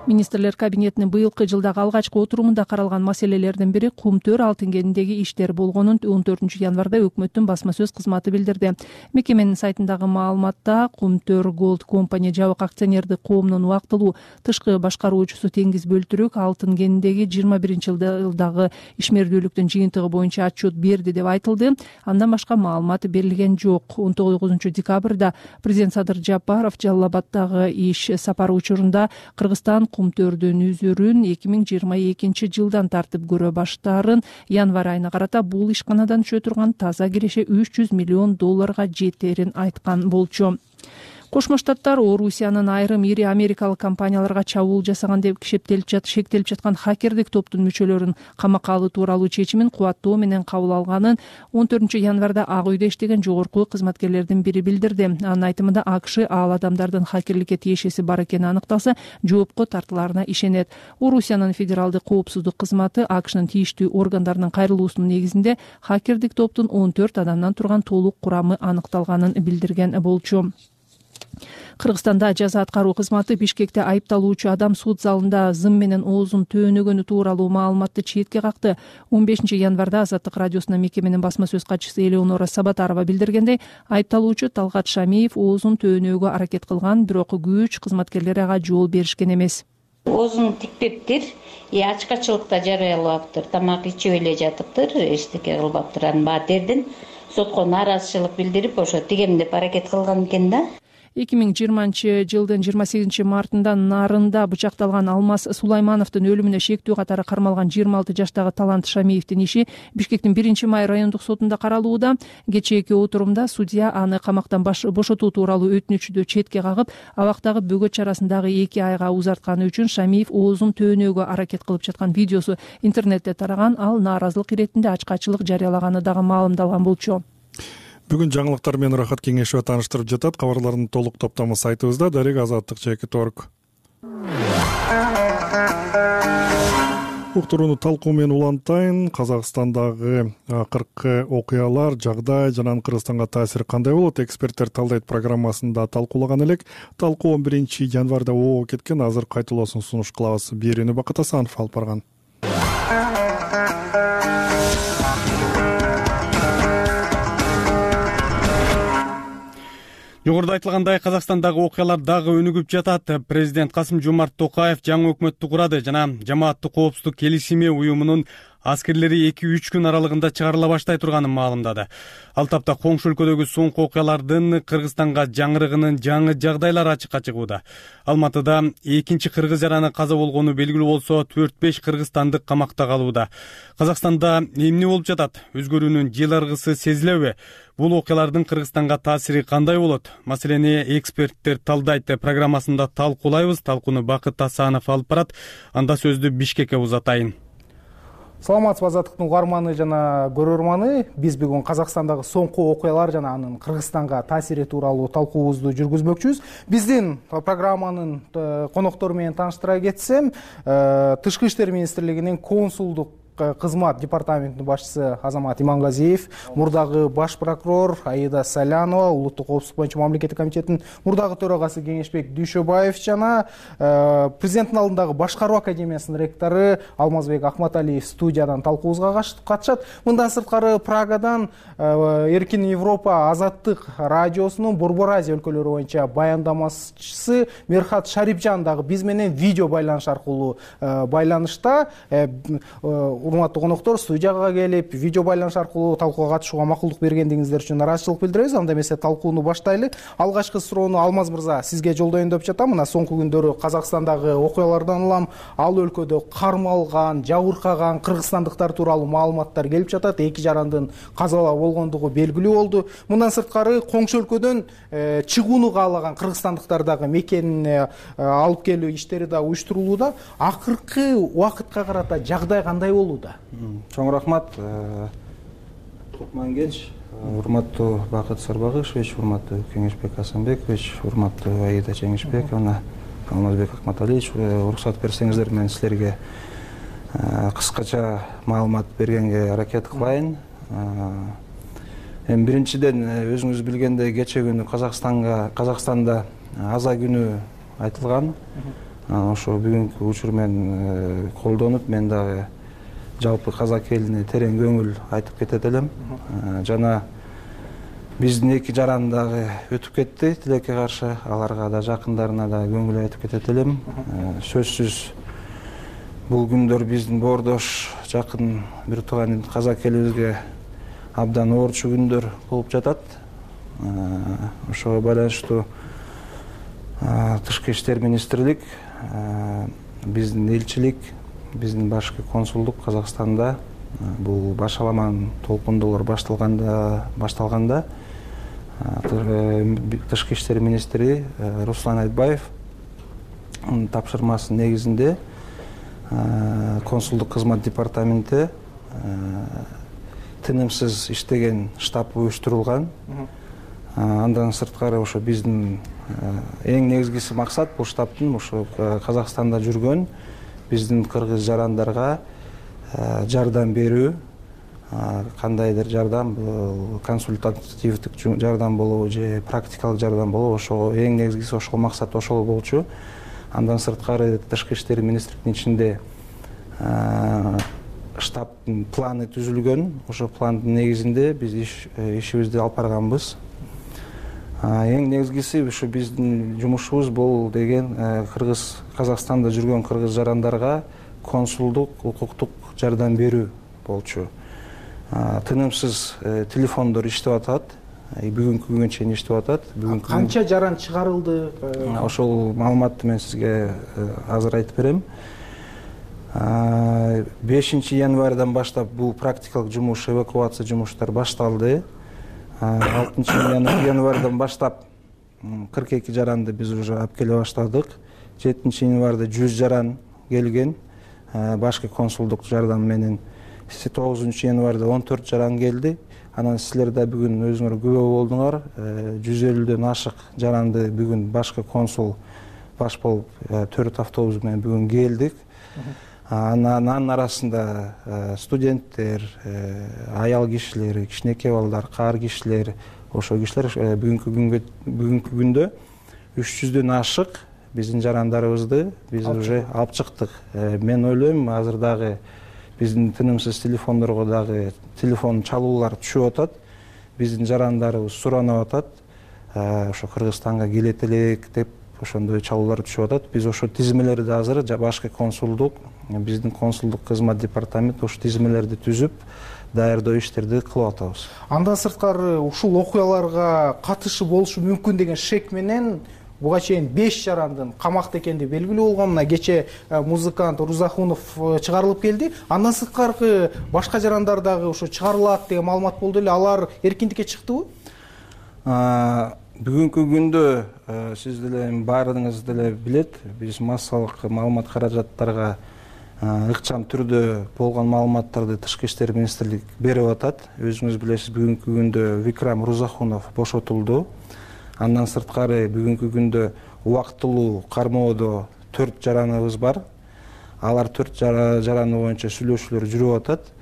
Министрлер кабинетинин быйылкы жылдагы алгачкы отурумунда каралган маселелердин бири Кумтөр алтын кенидеги иштер болгонун 14 январда өкмөттүн басма сөз кызматы билдирди. Мекеменин сайтындагы маалыматта Кумтөр Gold Company жабык акционердик коомунун убактылуу тышкы башкаруучусу Теңиз Бөлтүрүк алтын кенидеги 21-жылдагы ишмердүүлүктүн жыйынтыгы боюнча отчет берди деп айтылды. Андан башка маалымат берилген жок. 19 декабрда президент Садыр Жапаров Жалал Абаддагы иш сапары учурунда Кыргызстан Кумтөрдүн үзүрүн 2022 жылдан тартып көрө баштаарын, январь айына карата бул ишканадан түшө турган таза киреше $300 миллион жетерин айткан болчу. Кошмо Штаттар Орусиянын айрым ири америкалык компанияларга чабуул жасаган деп шектелип жаткан хакердик топтун мүчөлөрүн камакка алуу тууралуу чечимин кубаттоо менен кабыл алганын 14 январда Ак үйдө иштеген жогорку кызматкерлердин бири билдирди. Анын айтымында АКШ ал адамдардын хакерликке тиешеси бар экени аныкталса, жоопко тартылаарына ишенет. Орусиянын федералдык коопсуздук кызматы АКШнын тийиштүү органдарынын кайрылуусунун негизинде хакердик топтун 14 адамдан турган толук курамы аныкталганын билдирген болчу. Кыргызстанда жаза аткаруу кызматы Бишкекте айыпталуучу адам суд залында зым менен оозун төөнөгөнү тууралуу маалыматты четке какты. 15 январда Азаттык радиосуна мекеменин басма сөз катчысы Элеонора Сабатарова билдиргендей, айыпталуучу Талгат Шамиев оозун төөнөөгө аракет кылган, бирок күч кызматкерлери ага жол беришкен эмес. Оозун тикпептир, ачкачылыкта жарыялаптыр, тамак ичип эле жатыптыр, эчтеке кылбаптыр. Анын баардердин сотко нааразычылык билдирип, ошо тигем деп аракет кылган экен да. 2020-жылдын 28-мартында Нарында бычакталган Алмаз Сулаймановдун өлүмүнө шектүү катары кармалган 26 жаштагы Талант Шамиевдин иши Бишкектин 1-май райондук сотунда каралууда. Кечээки отурумда судья аны камактан бошотуу тууралуу өтүнүчүдү четке кагып, абактагы бөгөт чарасын дагы 2 айга узартканы үчүн Шамиев оозун төөнөөгө аракет кылып жаткан видеосу интернетте тараган. Ал нааразылык иретинде ачкачылык жарыялаганы дагы маалымдалган болчу. Бүгүн жаңылыктар менен Рахат Кеңешова тааныштырып жатат. Кабарлардын толук топтому сайтыбызда Дарек Азаттык /Торг. Уктурууну талкуу менен улантайын. Казакстандагы акыркы окуялар, жагдай жана Кыргызстанга таасири кандай болот? Эксперттер талдайт программасында талкуулаган элек. Талкуу 11-январда оо кеткен. Азыр кайталоосун сунуш кылабыз. Берүүнү Бакыт Асанов алып барган. Жогоруда айтылгандай, Казакстандагы окуялар дагы өнүгүп жатат. Президент Касым-Жомарт Токаев жаңы өкмөттү курады жана жамааттык коопсуздук келишими уюмунун аскерлери 2-3 күн аралыгында чыгарыла баштай турганын маалымдады. Ал тапта коңшу өлкөдөгү соңку окуялардын Кыргызстанга жаңырыгынын жаңы жагдайлары ачыкка чыгууда. Алматыда 2 кыргыз жараны каза болгону белгилүү болсо, 4-5 кыргызстандык камакта калууда. Казакстанда эмне болуп жатат? Өзгөрүүнүн жыл аргысы сезилеби? Бул окуялардын Кыргызстанга таасири кандай болот? Маселени эксперттер талдайт программасында талкуулайбыз. Талкууну Бакыт Асанов алып барат. Анда сөздү Бишкекке узатайын. Саламатсызбы Азаттыктын угарманы жана көрөрманы. Биз бүгүн Казакстандагы соңку окуялар жана анын Кыргызстанга таасири тууралуу талкуубузду жүргүзмөкчүбүз. Биздин программанын коноктору менен тааныштыра кетсем, Тышкы иштер министрлигинин консулдук кызмат департаментинин башчысы Азамат Имангазиев, мурдагы баш прокурор Аида Салянова, улуттук коопсуздук боюнча мамлекеттик комитеттин мурдагы төрагасы Кеңешбек Дүйшөбаев жана президенттин алдындагы башкаруу академиясынын ректору Алмазбек Акматалиев студиядан талкуубузга катышат. Мындан сырткары Прагадан Эркин Европа Азаттык радиосунун Борбор Азия өлкөлөрү боюнча баяндамачысы Мерхат Шарипжан дагы биз менен видео байланыш аркылуу байланышта. Урматтуу коноктор, студияга келип, видео байланыш аркылуу талкууга катышууга макулдук бергендигиңиздер үчүн ыраазычылык билдиребиз. Анда эмесе талкууну баштайлы. Алгачкы суроону Алмаз мырза сизге жолдоюн деп жатам. Мына соңку күндөрү Казакстандагы окуялардан улам ал өлкөдө кармалган, жабыркаган кыргызстандыктар тууралуу маалыматтар келип жатат. 2 жарандын каза болгондугу белгилүү болду. Мындан сырткары коңшу өлкөдөн чыгууну каалаган кыргызстандыктар дагы мекенине алып келүү иштери да уюштурулууда. Акыркы убакытка карата жагдай кандай болууда? Чоң рахмат. Тукман Кенч, урматтуу Бакыт Сарбагышевич, урматтуу Кеңешбек Асанбекович, урматтуу Аида Жеңишбековна, Алмазбек Акматалиевич, уруксат берсеңиздер мен силерге кыскача маалымат бергенге аракет кылайын. Эми биринчиден өзүңүз билгендей кечээ күнү Казакстанда аза күнү айтылган. Ошо бүгүнкү учур менен колдонуп, мен дагы жалпы казак элине терең көңүл айтып кетет элем. Жана биздин 2 жаран дагы өтүп кетти тилекке каршы, аларга да жакындарына да көңүл айтып кетет элем. Сөзсүз бул күндөр биздин боордош жакын бир тууган казак элибизге абдан оорчу күндөр болуп жатат. Ошого байланыштуу Тышкы иштер министрлик, биздин элчилик, биздин башкы консулдук Казакстанда бул башаламан толкундуулар башталганда Тышкы иштер министри Руслан Айтбаев тапшырмасынын негизинде консулдук кызмат департаменти тынымсыз иштеген штаб уюштурулган. Андан сырткары ошо биздин эң негизгиси максат бул штабтын ошо Казакстанда жүргөн биздин кыргыз жарандарга жардам берүү, кандайдыр жардам, консультативдик жардам болобу же практикалык жардам болобу, ошо эң негизгиси ошол максат ошол болчу. Андан сырткары Тышкы иштер министрлигинин ичинде штабтын планы түзүлгөн. Ошо пландын негизинде биз ишибизди алып барганбыз. Эң негизгиси ушу биздин жумушубуз бул деген Казакстанда жүргөн кыргыз жарандарга консулдук, укуктук жардам берүү болчу. Тынымсыз телефондор иштеп атат. бүгүнкү күнгө чейин иштеп атат. Канча жаран чыгарылды? Ошол маалыматты мен сизге азыр айтып берем. 5 январдан баштап бул практикалык жумуш, эвакуация жумуштары башталды. 6 январдан баштап 42 жаранды биз уже алып келе баштадык. 7 январда 100 жаран келген башкы консулдук жардам менен. 9 январда 14 жаран келди. Анан силер да бүгүн өзүңөр күбө болдуңар. 150дөн ашык жаранды бүгүн башкы консул баш болуп 4 автобус менен бүгүн келдик. Анын арасында студенттер, аял кишилер, кичинекей балдар, каар кишилер, ошол кишилер бүгүнкү күндө 300дөн ашык биздин жарандарыбызды биз уже алып чыктык. Мен ойлойм, азыр дагы биздин тынымсыз телефондорго дагы телефон чалуулар түшүп атат. Биздин жарандарыбыз суранып атат. Ошо Кыргызстанга келет элек деп ошондой чалуулар түшүп атат. Биз ошо тизмелерди азыр башкы консулдук, биздин консулдук кызмат департамент ошо тизмелерди түзүп, даярдоо иштерди кылып атабыз. Андан сырткары ушул окуяларга катышы болушу мүмкүн деген шек менен буга чейин 5 жарандын камакта экендиги белгилүү болгон. Мына кече музыкант Рузахунов чыгарылып келди. Андан сырткары башка жарандар дагы ошо чыгарылат деген маалымат болду эле. Алар эркиндикке чыктыбы? Бүгүнкү күндө сиз деле баарыңыз деле билет, биз массалык маалымат каражаттарга ыкчам түрдө болгон маалыматтарды Тышкы иштер министрлиги берип атат. Өзүңүз билесиз, бүгүнкү күндө Викрам Рузахунов бошотулду. Андан сырткары бүгүнкү күндө убактылуу кармоодо 4 жараныбыз бар. Алар 4 жараны боюнча сүйлөшүүлөр жүрүп атат.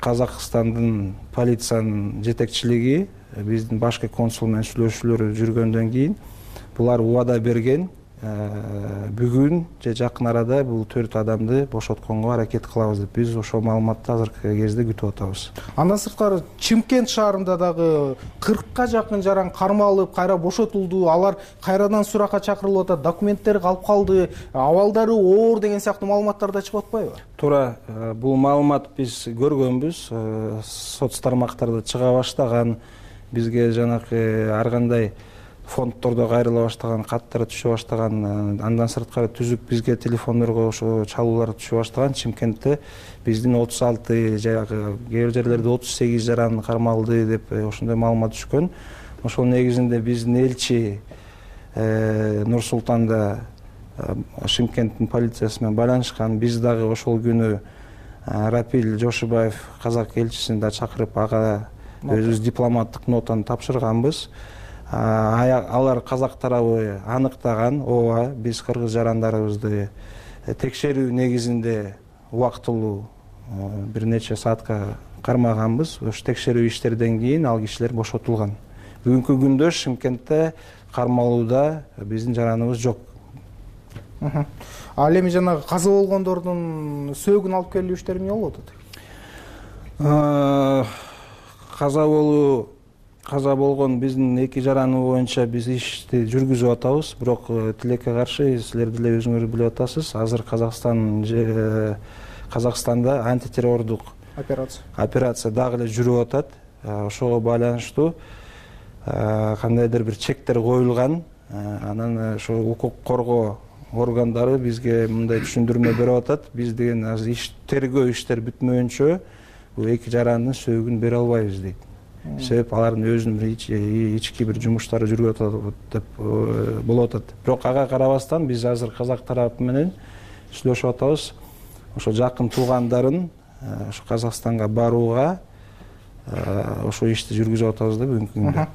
Казакстандын полициянын жетекчилиги биздин башкы консул менен сүйлөшүүлөр жүргөндөн кийин булар убада берген. Бүгүн же жакын арада бул 4 адамды бошотконго аракет кылабыз деп биз ошол маалыматты азыркы кезде күтүп атабыз. Андан сырткары Чымкент шаарында дагы 40ка жакын жаран кармалып, кайра бошотулду. Алар кайрадан суракка чакырылып атат, документтери калып калды, абалдары оор деген сыяктуу маалыматтар да чыгып атпайбы? Туура, бул маалымат биз көргөнбүз. Соц тармактарда чыга баштаган, бизге жанакы ар кандай фонддордо кайрыла баштаган, каттар түшө баштаган, андан сырткары түзүк бизге телефондорго ошо чалуулар түшө баштаган. Чымкентте биздин 36, жагы кээ бир жерлерде 38 жаран кармалды деп ошондой маалымат түшкөн. Ошол негизинде биздин элчи Нур Султанда Шымкенттин полициясы менен байланышкан. Биз дагы ошол күнү Рапил Жошубаев казак элчисин да чакырып, ага өзүбүз дипломаттык нотаны тапшырганбыз. Алар казак тарабы аныктаган, ооба биз кыргыз жарандарыбызды текшерүү негизинде убактылуу бир нече саатка кармаганбыз. Ошо текшерүү иштерден кийин ал кишилер бошотулган. Бүгүнкү күндө Шымкентте кармалууда биздин жараныбыз жок. Ал эми жанагы каза болгондордун сөөгүн алып келүү иштери эмне болуп атат? Каза болгон биздин 2 жараны боюнча биз ишти жүргүзүп атабыз. Бирок тилекке каршы силер деле өзүңөр билип атасыз, азыр Казакстанда антитеррордук операция дагы эле жүрүп атат. Ошого байланыштуу кандайдыр бир чектер коюлган. Анан ошо укук коргоо органдары бизге мындай түшүндүрмө берип атат. Биз деген азыр тергөө иштер бүтмөйүнчө бул 2 жарандын сөөгүн бере албайбыз дейт. Себеп алардын өзүнүн ички бир жумуштары жүрүп атат деп болуп атат. Бирок ага карабастан биз азыр казак тарапы менен сүйлөшүп атабыз. Ошо жакын туугандарын ошо Казакстанга барууга ошо ишти жүргүзүп атабыз да бүгүнкү күндө.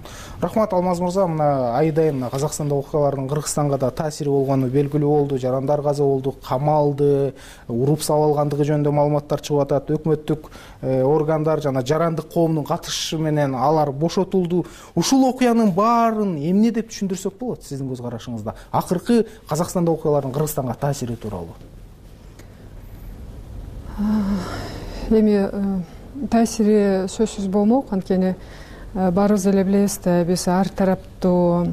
Рахмат Алмаз мырза, мына айдайын Казакстанда окуялардын Кыргызстанга да таасири болгону белгилүү болду. Жарандар каза болду, камалды, уруп салып алгандыгы жөнүндө маалыматтар чыгып атат. Өкмөттүк органдар жана жарандык коомдун катышышы менен алар бошотулду. Ушул окуянын баарын эмне деп түшүндүрсөк болот сиздин көз карашыңызда? Акыркы Казакстанда окуялардын Кыргызстанга таасири тууралуу. Эми таасири сөзсүз болмок, анткени баарыбыз эле билебиз да, биз ар тараптуу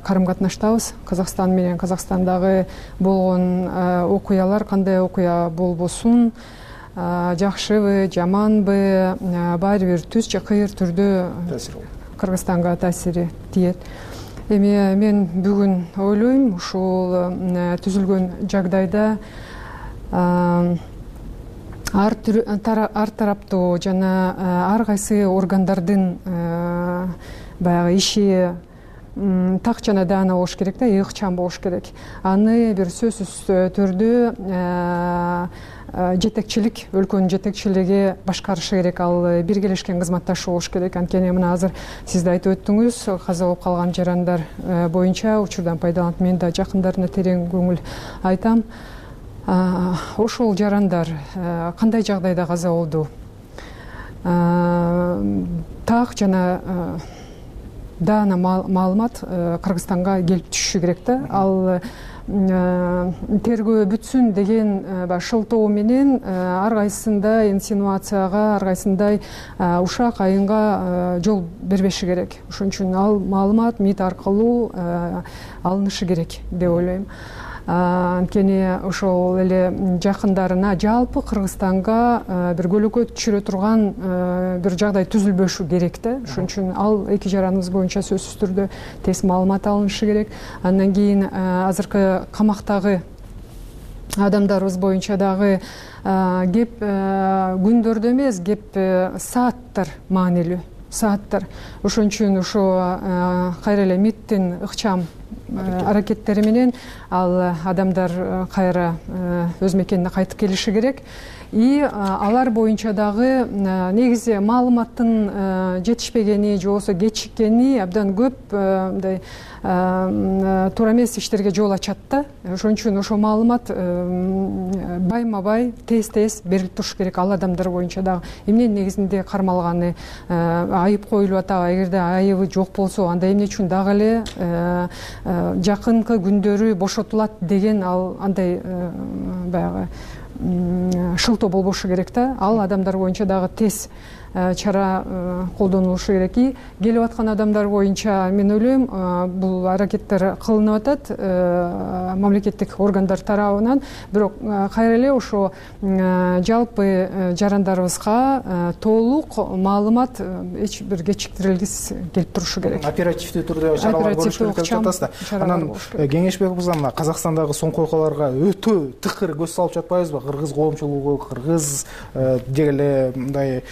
карым-катнаштабыз. Казакстан менен Казакстандагы болгон окуялар кандай окуя болбосун, жакшыбы жаманбы баары бир түз же кыйыр түрдө Кыргызстанга таасири тиет. Эми мен бүгүн ойлойм ушул түзүлгөн жагдайда ар тараптуу жана ар кайсы органдардын баягы иши так жана даана болуш керек да, ыкчам болуш керек. Аны бир сөзсүз түрдө жетекчилик, өлкөнүн жетекчилиги башкарышы керек, ал биргелешкен кызматташы болуш керек. Анткени мына азыр сиз да айтып өттүңүз, каза болуп калган жарандар боюнча учурдан пайдаланып мен да жакындарына терең көңүл айтам. Ошол жарандар кандай жагдайда каза болду? Так жана даана маалымат Кыргызстанга келип түшүшү керек да. Ал тергөө бүтсүн деген шылтоо менен ар кайсында инсинуацияга, ар кайсындай ушак айынга жол бербеши керек. Ошон үчүн ал маалымат МИД аркылуу алынышы керек деп ойлойм. Анткени ошол эле жакындарына жалпы Кыргызстанга бир көлөкө түшүрө турган бир жагдай түзүлбөшү керек да. Ошон үчүн ал эки жараныбыз боюнча сөзсүз түрдө тез маалымат алынышы керек. Андан кийин азыркы камактагы адамдарыбыз боюнча дагы кеп күндөрдө эмес, кеп сааттар маанилүү. Сааттар. Ошон үчүн ошо кайра эле МИДтин ыкчам аракеттери менен ал адамдар кайра өз мекенине кайтып келиши керек. И алар боюнча дагы негизи маалыматтын жетишпегени же болбосо кечиккени абдан көп мындай туура эмес иштерге жол ачат да. Ошон үчүн ошол маалымат байма бай тез берилип туруш керек ал адамдар боюнча дагы. Эмне негизинде кармалганы, айып коюлуп атабы, эгерде айыбы жок болсо анда эмне үчүн дагы эле жакынкы күндөрү бошотулат деген ал андай баягы шылтоо болбошу керек да. Ал адамдар боюнча дагы тез чара колдонулушу керек. И келип аткан адамдар боюнча мен ойлойм бул аракеттер кылынып атат мамлекеттик органдар тарабынан. Бирок кайра эле ошо жалпы жарандарыбызга толук маалымат эч бир кечиктирилгис келип турушу керек. Оперативдүү түрдө чаралар көрүш керек деп жатасызда. Анан Кеңешбек мырза, Казакстандагы соңку окуяларга өтө тыкыр көз салып жатпайбызбы? Кыргыз коомчулугу, кыргыз деги эле мындай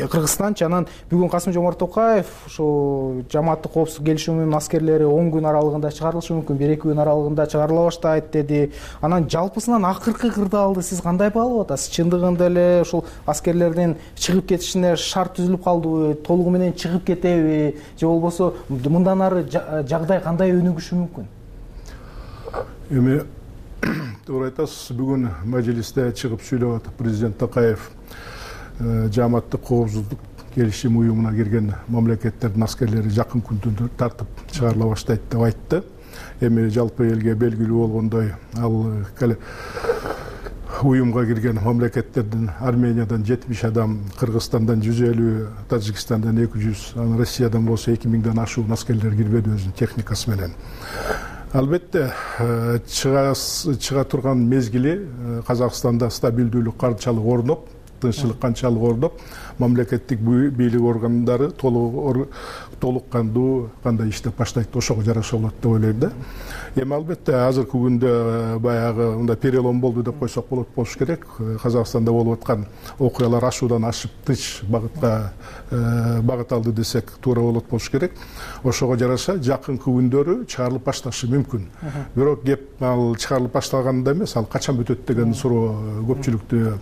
Кыргызстанчы. Анан бүгүн Касым-Жомарт Токаев ошо жамааттык коопсуздук келишиминин аскерлери 10 күн аралыгында чыгарылышы мүмкүн, 1-2 күн аралыгында чыгарыла баштайт деди. Анан жалпысынан акыркы кырдаалды сиз кандай баалап атасыз? Чындыгында эле ушул аскерлердин чыгып кетишине шарт түзүлүп калдыбы, толугу менен чыгып кетеби, же болбосо мындан ары жагдай кандай өнүгүшү мүмкүн? Эми туура айтасыз, бүгүн мажлисте чыгып сүйлөп атып президент Токаев жамааттык коопсуздук келишим уюмуна кирген мамлекеттердин аскерлери жакын күндөрдө тартып чыгарыла баштайт деп айтты. Эми жалпы элге белгилүү болгондой, ал уюмга кирген мамлекеттердин Армениядан 70 адам, Кыргызстандан 150, Тажикстандан 200, анан Россиядан болсо 2000ден ашуун аскерлер кирбеди өзүнүн техникасы менен. Албетте чыга турган мезгили Казакстанда стабилдүүлүк канчалык орноп, тынччылык канчалык орноп, мамлекеттик бийлик органдары толук кандуу кандай иштеп баштайт, ошого жараша болот деп ойлойм да. Эми албетте азыркы күндө баягы мындай перелом болду деп койсок болуш керек. Казакстанда болуп аткан окуялар ашуудан ашып тынч багытка багыт алды десек туура болуш керек. Ошого жараша жакынкы күндөрү чыгарылып башташы мүмкүн. Бирок кеп ал чыгарылып башталганда эмес, ал качан бүтөт деген суроо көпчүлүктү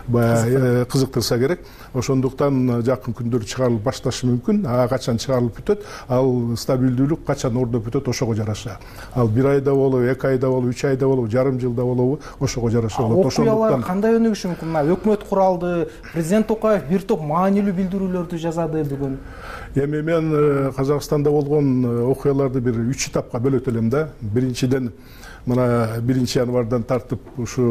баягы кызыктырса керек. Ошондуктан жакын күндөрү чыгарылып башташы мүмкүн. Качан чыгарылып бүтөт, ал стабилдүүлүк качан ордоп бүтөт, ошого жараша. Ал 1 айда болобу, 2 айда болобу, 3 айда болобу, жарым жылда болобу, ошого жараша болот. Окуялар кандай өнүгүшү мүмкүн? Мына өкмөт куралды, президент Токаев бир топ маанилүү билдирүүлөрдү жазады бүгүн. Эми мен Казакстанда болгон окуяларды бир 3 этапка бөлөт элем да. Биринчиден мына 1-январдан тартып ушу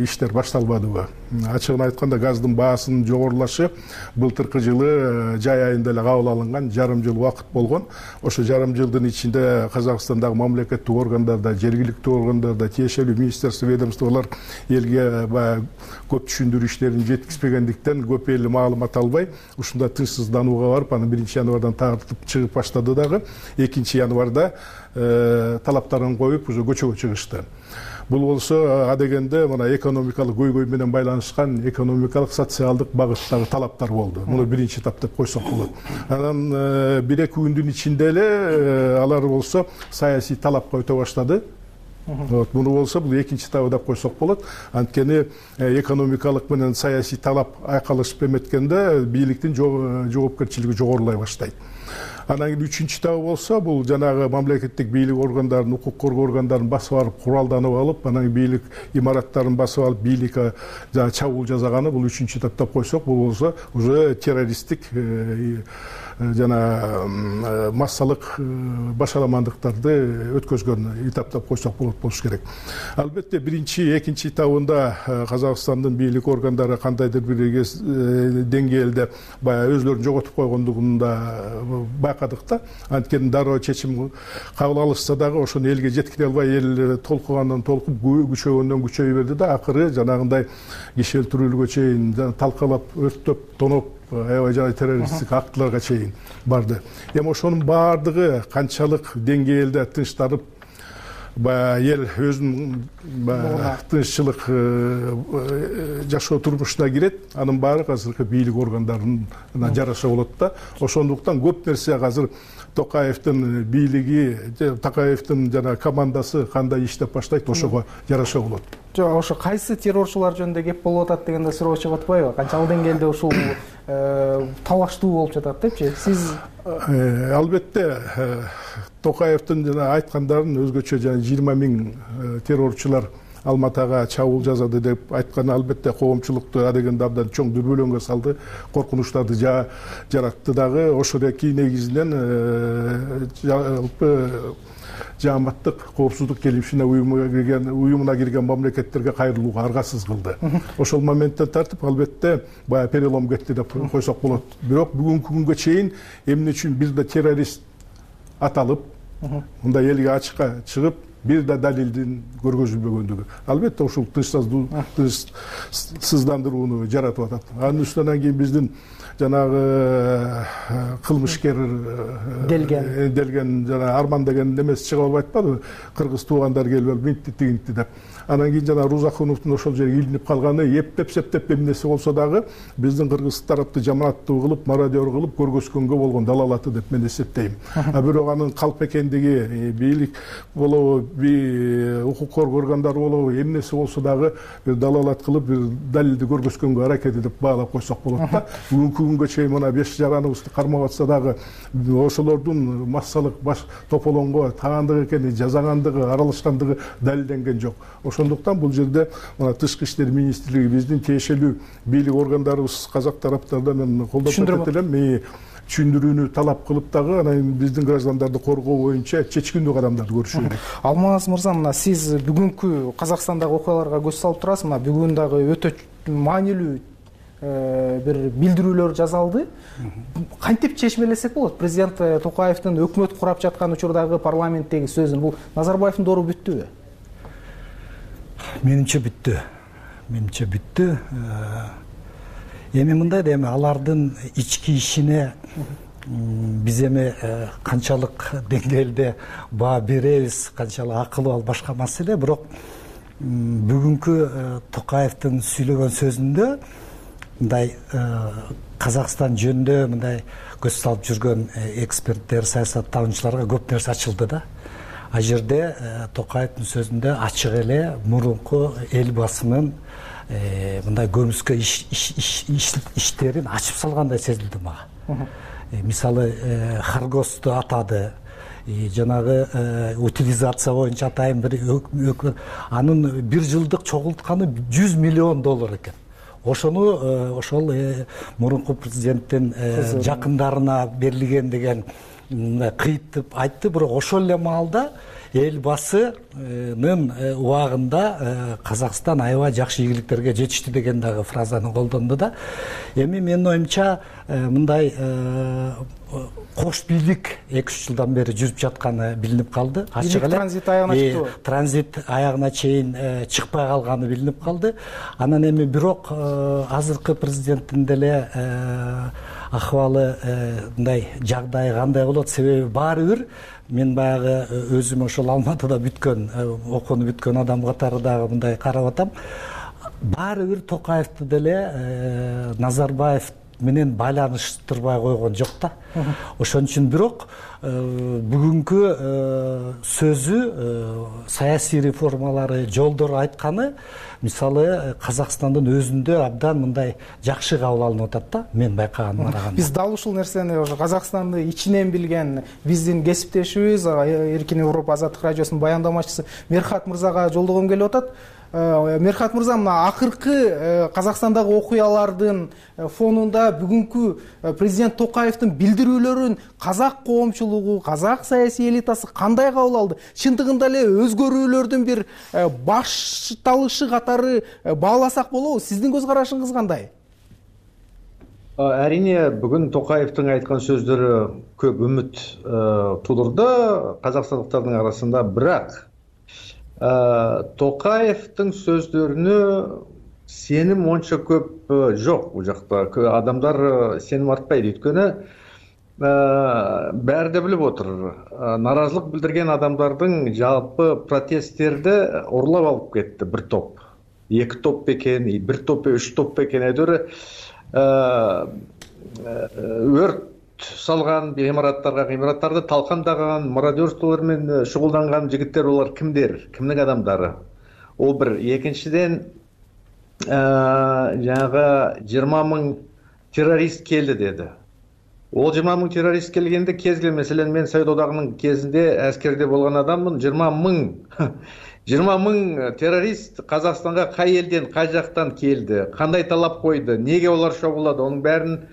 иштер башталбадыбы? Ачыгын айтканда газдын баасынын жогорулашы былтыркы жылы жай айында эле кабыл алынган, жарым жыл убакыт болгон. Ошо жарым жылдын ичинде Казакстандагы мамлекеттик органдарда, жергиликтүү органдарда, тиешелүү министерство, ведомстволор элге баягы көп түшүндүрүү иштерин жеткизбегендиктен көп эл маалымат албай, ушундай тынчсызданууга барып, анан 1-январдан тартып чыгып баштады дагы. 2-январда талаптарын коюп, уже көчөгө чыгышты. Бул болсо адегенде мына экономикалык көйгөй менен байланышкан экономикалык, социалдык багыттагы талаптар болду. Муну биринчи этап деп койсок болот. Анан 1-2 күндүн ичинде эле алар болсо саясий талап който баштады. Муну болсо бул экинчи этабы деп койсок болот. Анткени экономикалык менен саясий талап айкалышып эметкенде бийликтин жоопкерчилиги жогорулай баштайт. Анан кийин 3-чү этабы болсо, бул жанагы мамлекеттик бийлик органдарын, укук коргоо органдарын басып барып, куралданып алып, анан бийлик имараттарын басып алып, бийликке чабуул жасаганы, бул 3-чү этап деп койсок, бул болсо уже террористтик жана массалык башаламандыктарды өткөзгөн этап деп койсок болуш керек. Албетте 1-2 этабында Казакстандын бийлик органдары кандайдыр бир деңгээлде баягы өзлөрүн жоготуп койгондугун да байкадык да. Анткени дароо чечим кабыл алышса дагы ошону элге жеткире албай, эл толкугандан толкуп, күчөгөндөн күчөй берди да, акыры жанагындай киши өлтүрүүгө чейин талкалап, өрттөп, тоноп, аябай жана террористтик актыларга чейин барды. Эми ошонун баардыгы канчалык деңгээлде тынчтанып, эл өзүнүн тынччылык жашоо турмушуна кирет, анын баары азыркы бийлик органдарына жараша болот да. Ошондуктан көп нерсе азыр Токаевдин бийлиги, Токаевдин жана командасы кандай иштеп баштайт, ошого жараша болот. Жок, ошо кайсы террорчулар жөнүндө кеп болуп атат дегенде суроо чыгып атпайбы? Канчалык деңгээлде ушул талаштуу болуп жатат депчи? Сиз албетте Токаевдин жана айткандарын өзгөчө жана 20 000 террорчулар Алматага чабуул жасады деп айтканы албетте коомчулукту адегенде абдан чоң дүрбөлөңгө салды, коркунучтарды жаратты дагы. Ошондой негизинен жалпы жааматтык коопсуздук келишимине уюмуна кирген мамлекеттерге кайрылууга аргасыз кылды. Ошол моменттен тартып албетте баягы перелом кетти деп койсок болот. Бирок бүгүнкү күнгө чейин эмне үчүн бир да террорист аталып, мындай элге ачыкка чыгып, бир да далилдин көргөзүлбөгөндүгү. Албетте ушул тынчсыздандырууну жаратып атат. Анын үстүнөн кийин биздин жанагы кылмышкер делген жана Арман деген немеси чыгып алып айтпадыбы? Кыргыз туугандар келип минтти тигинтти деп. Анан кийин жана Рузакуновдун ошол жерге илинип калганы, эптеп эмнеси болсо дагы биздин кыргыз тарапты жаманаттуу кылып, мародер кылып көргөзгөнгө болгон далалаты деп мен эсептейм. Бирок анын калп экендиги, бийлик болобу, укук коргоо органдары болобу, эмнеси болсо дагы бир далалат кылып, бир далилди көргөзгөнгө аракети деп баалап койсок болот да. Бүгүнкү күнгө чейин мына 5 жараныбызды кармап атса дагы ошолордун массалык баш тополоңго таандык экени, жасагандыгы, аралашкандыгы далилденген жок. Ошондуктан бул жерде мына Тышкы иштер министрлиги, биздин тиешелүү бийлик органдарыбыз казак тараптардан мен колдоп кетет элем, түшүндүрүүнү талап кылып дагы анан биздин граждандарды коргоо боюнча чечкиндүү кадамдарды көрүшү керек. Алмаз мырза, мына сиз бүгүнкү Казакстандагы окуяларга көз салып турасыз. Мына бүгүн дагы өтө маанилүү бир билдирүүлөр жасалды. Кантип чечмелесек болот? Президент Токаевдин өкмөт курап жаткан учурдагы парламенттеги сөзүн бул Назарбаевдин дору бүттүбү? Менимче бүттү. Эми мындай да, эми алардын ички ишине биз эми канчалык деңгээлде баа беребиз, канчалык акылуу, ал башка маселе. Бирок бүгүнкү Токаевдин сүйлөгөн сөзүндө мындай Казакстан жөнүндө мындай көз салып жүргөн эксперттер, саясаттануучуларга көп нерсе ачылды да. А жерде Токаевдин сөзүндө ачык эле мурунку эл басынын мындай көмүскө иштерин ачып салгандай сезилди мага. Мисалы Харгосту атады, жанагы утилизация боюнча атайын бир анын бир жылдык чогултканы $100 миллион экен. Ошону ошол мурунку президенттин жакындарына берилген деген кыйыт деп айтты. Бирок ошол эле маалда элбасынын убагында Казакстан аябай жакшы ийгиликтерге жетишти деген дагы фразаны колдонду да. Эми менин оюмча мындай кош бийлик 2-3 жылдан бери жүрүп жатканы билинип калды. Ачык эле транзит аягына чыктыбы? Транзит аягына чейин чыкпай калганы билинип калды. Анан эми бирок азыркы президенттин деле акыбалы мындай жагдайы кандай болот? Себеби баары бир мен баягы өзүм ошол Алматыда бүткөн, окууну бүткөн адам катары дагы мындай карап атам. Баары бир Токаевди деле Назарбаев менен байланыштырбай койгон жок да. Ошон үчүн бирок бүгүнкү сөзү саясий реформалары жолдор айтканы мисалы Казакстандын өзүндө абдан мындай жакшы кабыл алынып атат да, мен байкаганыма караганда. Биз дал ушул нерсени ошо Казакстанды ичинен билген биздин кесиптешибиз Эркин Европа азаттык радиосунун баяндамачысы Мерхат мырзага жолдогом келип атат. Мерхат мырза, мына акыркы Казакстандагы окуялардын фонунда бүгүнкү президент Токаевдин билдирүүлөрүн казак коомчулугу, казак саясий элитасы кандай кабыл алды? Чындыгында эле өзгөрүүлөрдүн бир башталышы катары бааласак болобу? Сиздин көз карашыңыз кандай? Әрине, бүгін Токаевтың айткан сөздөрү көп үміт тудурду казакстандыктардын арасында, бирок Токаевтың сөздөрүнө сеним онча көп жок бул жакта. Адамдар сеним артпайт, өйткөнү баары да билип отур. Наразылык билдирген адамдардын жалпы протесттерди урлап алып кетти бир топ. 2 топ бекен, 1 топ, 3 топ бекен өдөрү өрт салган гимараттарды талкандаган, мародерстволор менен шугулданган жигиттер, олар кимдер, кимдин адамдары? Ол бир. Экинчиден, жанагы 20 000 террорист келди деди. Ол 20 000 террорист келгенде кезген, маселен, мен Совет одагынын кезинде аскерде болгон адаммын. 20 000 террорист Казакстанга кай элден, кай жактан келди, кандай талап койду, неге олар чогулду, онун баарын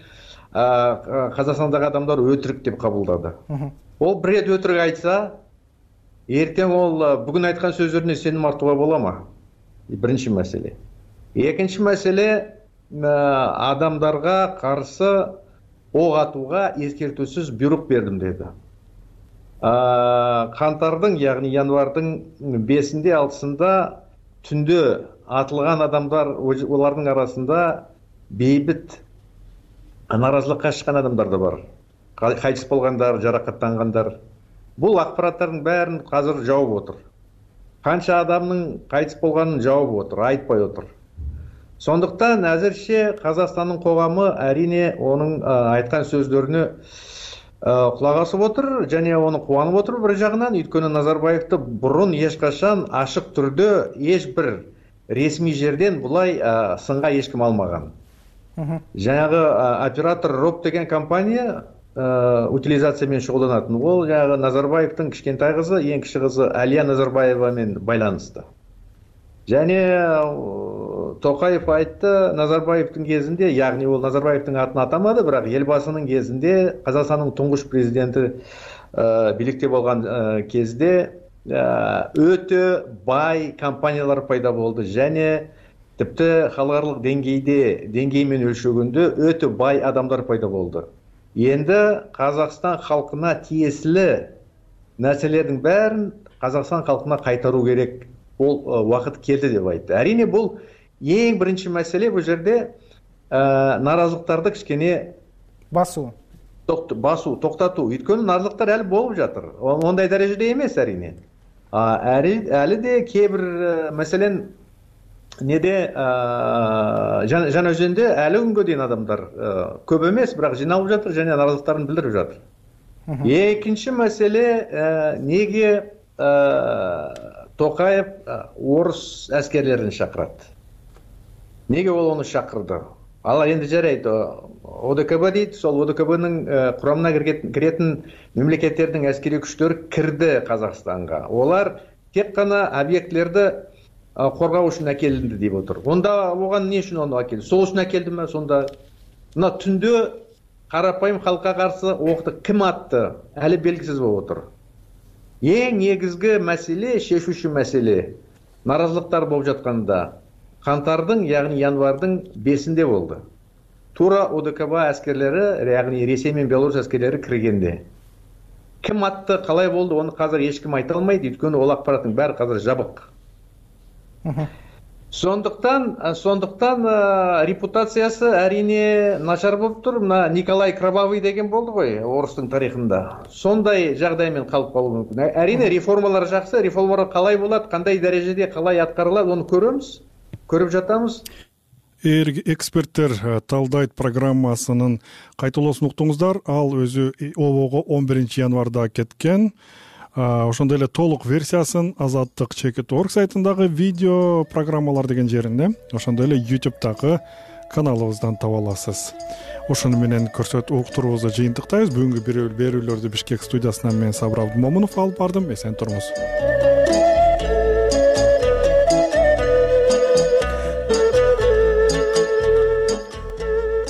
Казакстандагы адамдар өтірік деп кабылдады. Ол бир рет өтірік айтса, ертең ол бүгүн айткан сөздөрүнө сеним артууга болома? Биринчи маселе. Экинчи маселе, адамдарга каршы ок атууга эскертүүсүз буйрук бердим деди. Кантардын, яғни январдын 5-inde, 6-ында түндө атылган адамдар, олардын арасында бейбит наразылыкка чыккан адамдар да бар. Кайтыс болгондар, жаракаттангандар. Бул акпараттардын баарын азыр жаап отур. Канча адамдын кайтыс болганын жаап отур, айтпай отур. Сондуктан азырча Казакстандын коому әрине онун айткан сөздөрүнө кулак асып отур жана оны кубанып отур бир жагынан, өйткөнү Назарбаевди бурун эч качан ашык түрдө эч бир ресми жерден булай сынга эч ким алмаган. Жаңағы оператор РОП деген компания утилизация менен шугулданатын. Ол жаңағы Назарбаевдин кичкентай кызы, эң кичи кызы Алия Назарбаева менен байланысты. Және Токаев айтты, Назарбаевдин кезинде, яғни ол Назарбаевдин атын атамады, бирок элбасынын кезинде, Казакстандын туңгуш президенти бийликте болгон кезде өтө бай компаниялар пайда болду, және типти халыкаралык деңгей менен өлчөгөндө өтө бай адамдар пайда болду. Енді Казакстан халкына тиесилүү нерселердин баарын Казакстан халкына кайтаруу керек. Ол убакыт келди деп айтты. Әрине бул эң биринчи маселе, бул жерде наразылыктарды кичкене басуу, токтотуу. Өйткөнү наразылыктар әлі болуп жатыр. Ондай дарежеде эмес әрине. Әлі де кейбір, мәселен, неде жана өзүндө әлі күнгө дейин адамдар көп эмес, бирок жиналып жатыр жана наразылыктарын билдирип жатыр. Экинчи маселе, неге Токаев орус аскерлерин чакырат? Неге ол ону чакырды? Ал энди жарайт, ОДКБ дейт, сол ОДКБнын курамына киретін мемлекеттердин аскери күчтөрү кирди Казакстанга. Олар тек гана объектлерди коргоо үчүн акелинди деп отур. Онда оган эмне үчүн ону акелди? Сол үчүн акелдиме сонда? Мына түндө карапайым халкка каршы окты ким атты? Әлі белгисиз болуп отур. эң негизги маселе, шешүүчү маселе нааразылыктар болуп жатканда кантардын, яғни январдын 5-inde болду. Туура ОДКБ аскерлери, яғни Ресей менен Беларусь аскерлери киргенде. Ким атты, калай болду, аны азыр эч ким айта албайт, өйткөнү ол акпараттын баары азыр жабык. Сондуктан репутациясы әрине начар болуптур. Мына Николай Кровавый деген болду ғой орустун тарыхында. Сондай жагдай менен калып калуу мүмкүн. Әрине реформалар жакшы, реформалар калай болот, кандай дарежеде калай аткарылат, аны көрөмүз, көрүп жатабыз. Эксперттер талдайт программасынын кайталоосун уктуңуздар. Ал өзү обого 11 январда кеткен. Ошондой эле толук версиясын Азаттык Чекит.org сайтындагы видео программалар деген жеринде, ошондой эле YouTube'дагы каналыбыздан таба аласыз. Ошону менен көрсөтүп уктуруубузду жыйынтыктайбыз. Бүгүнкү берүүлөрдү Бишкек студиясынан мен Сабыр Абдымомунов алып бардым. Эсен туруңуз.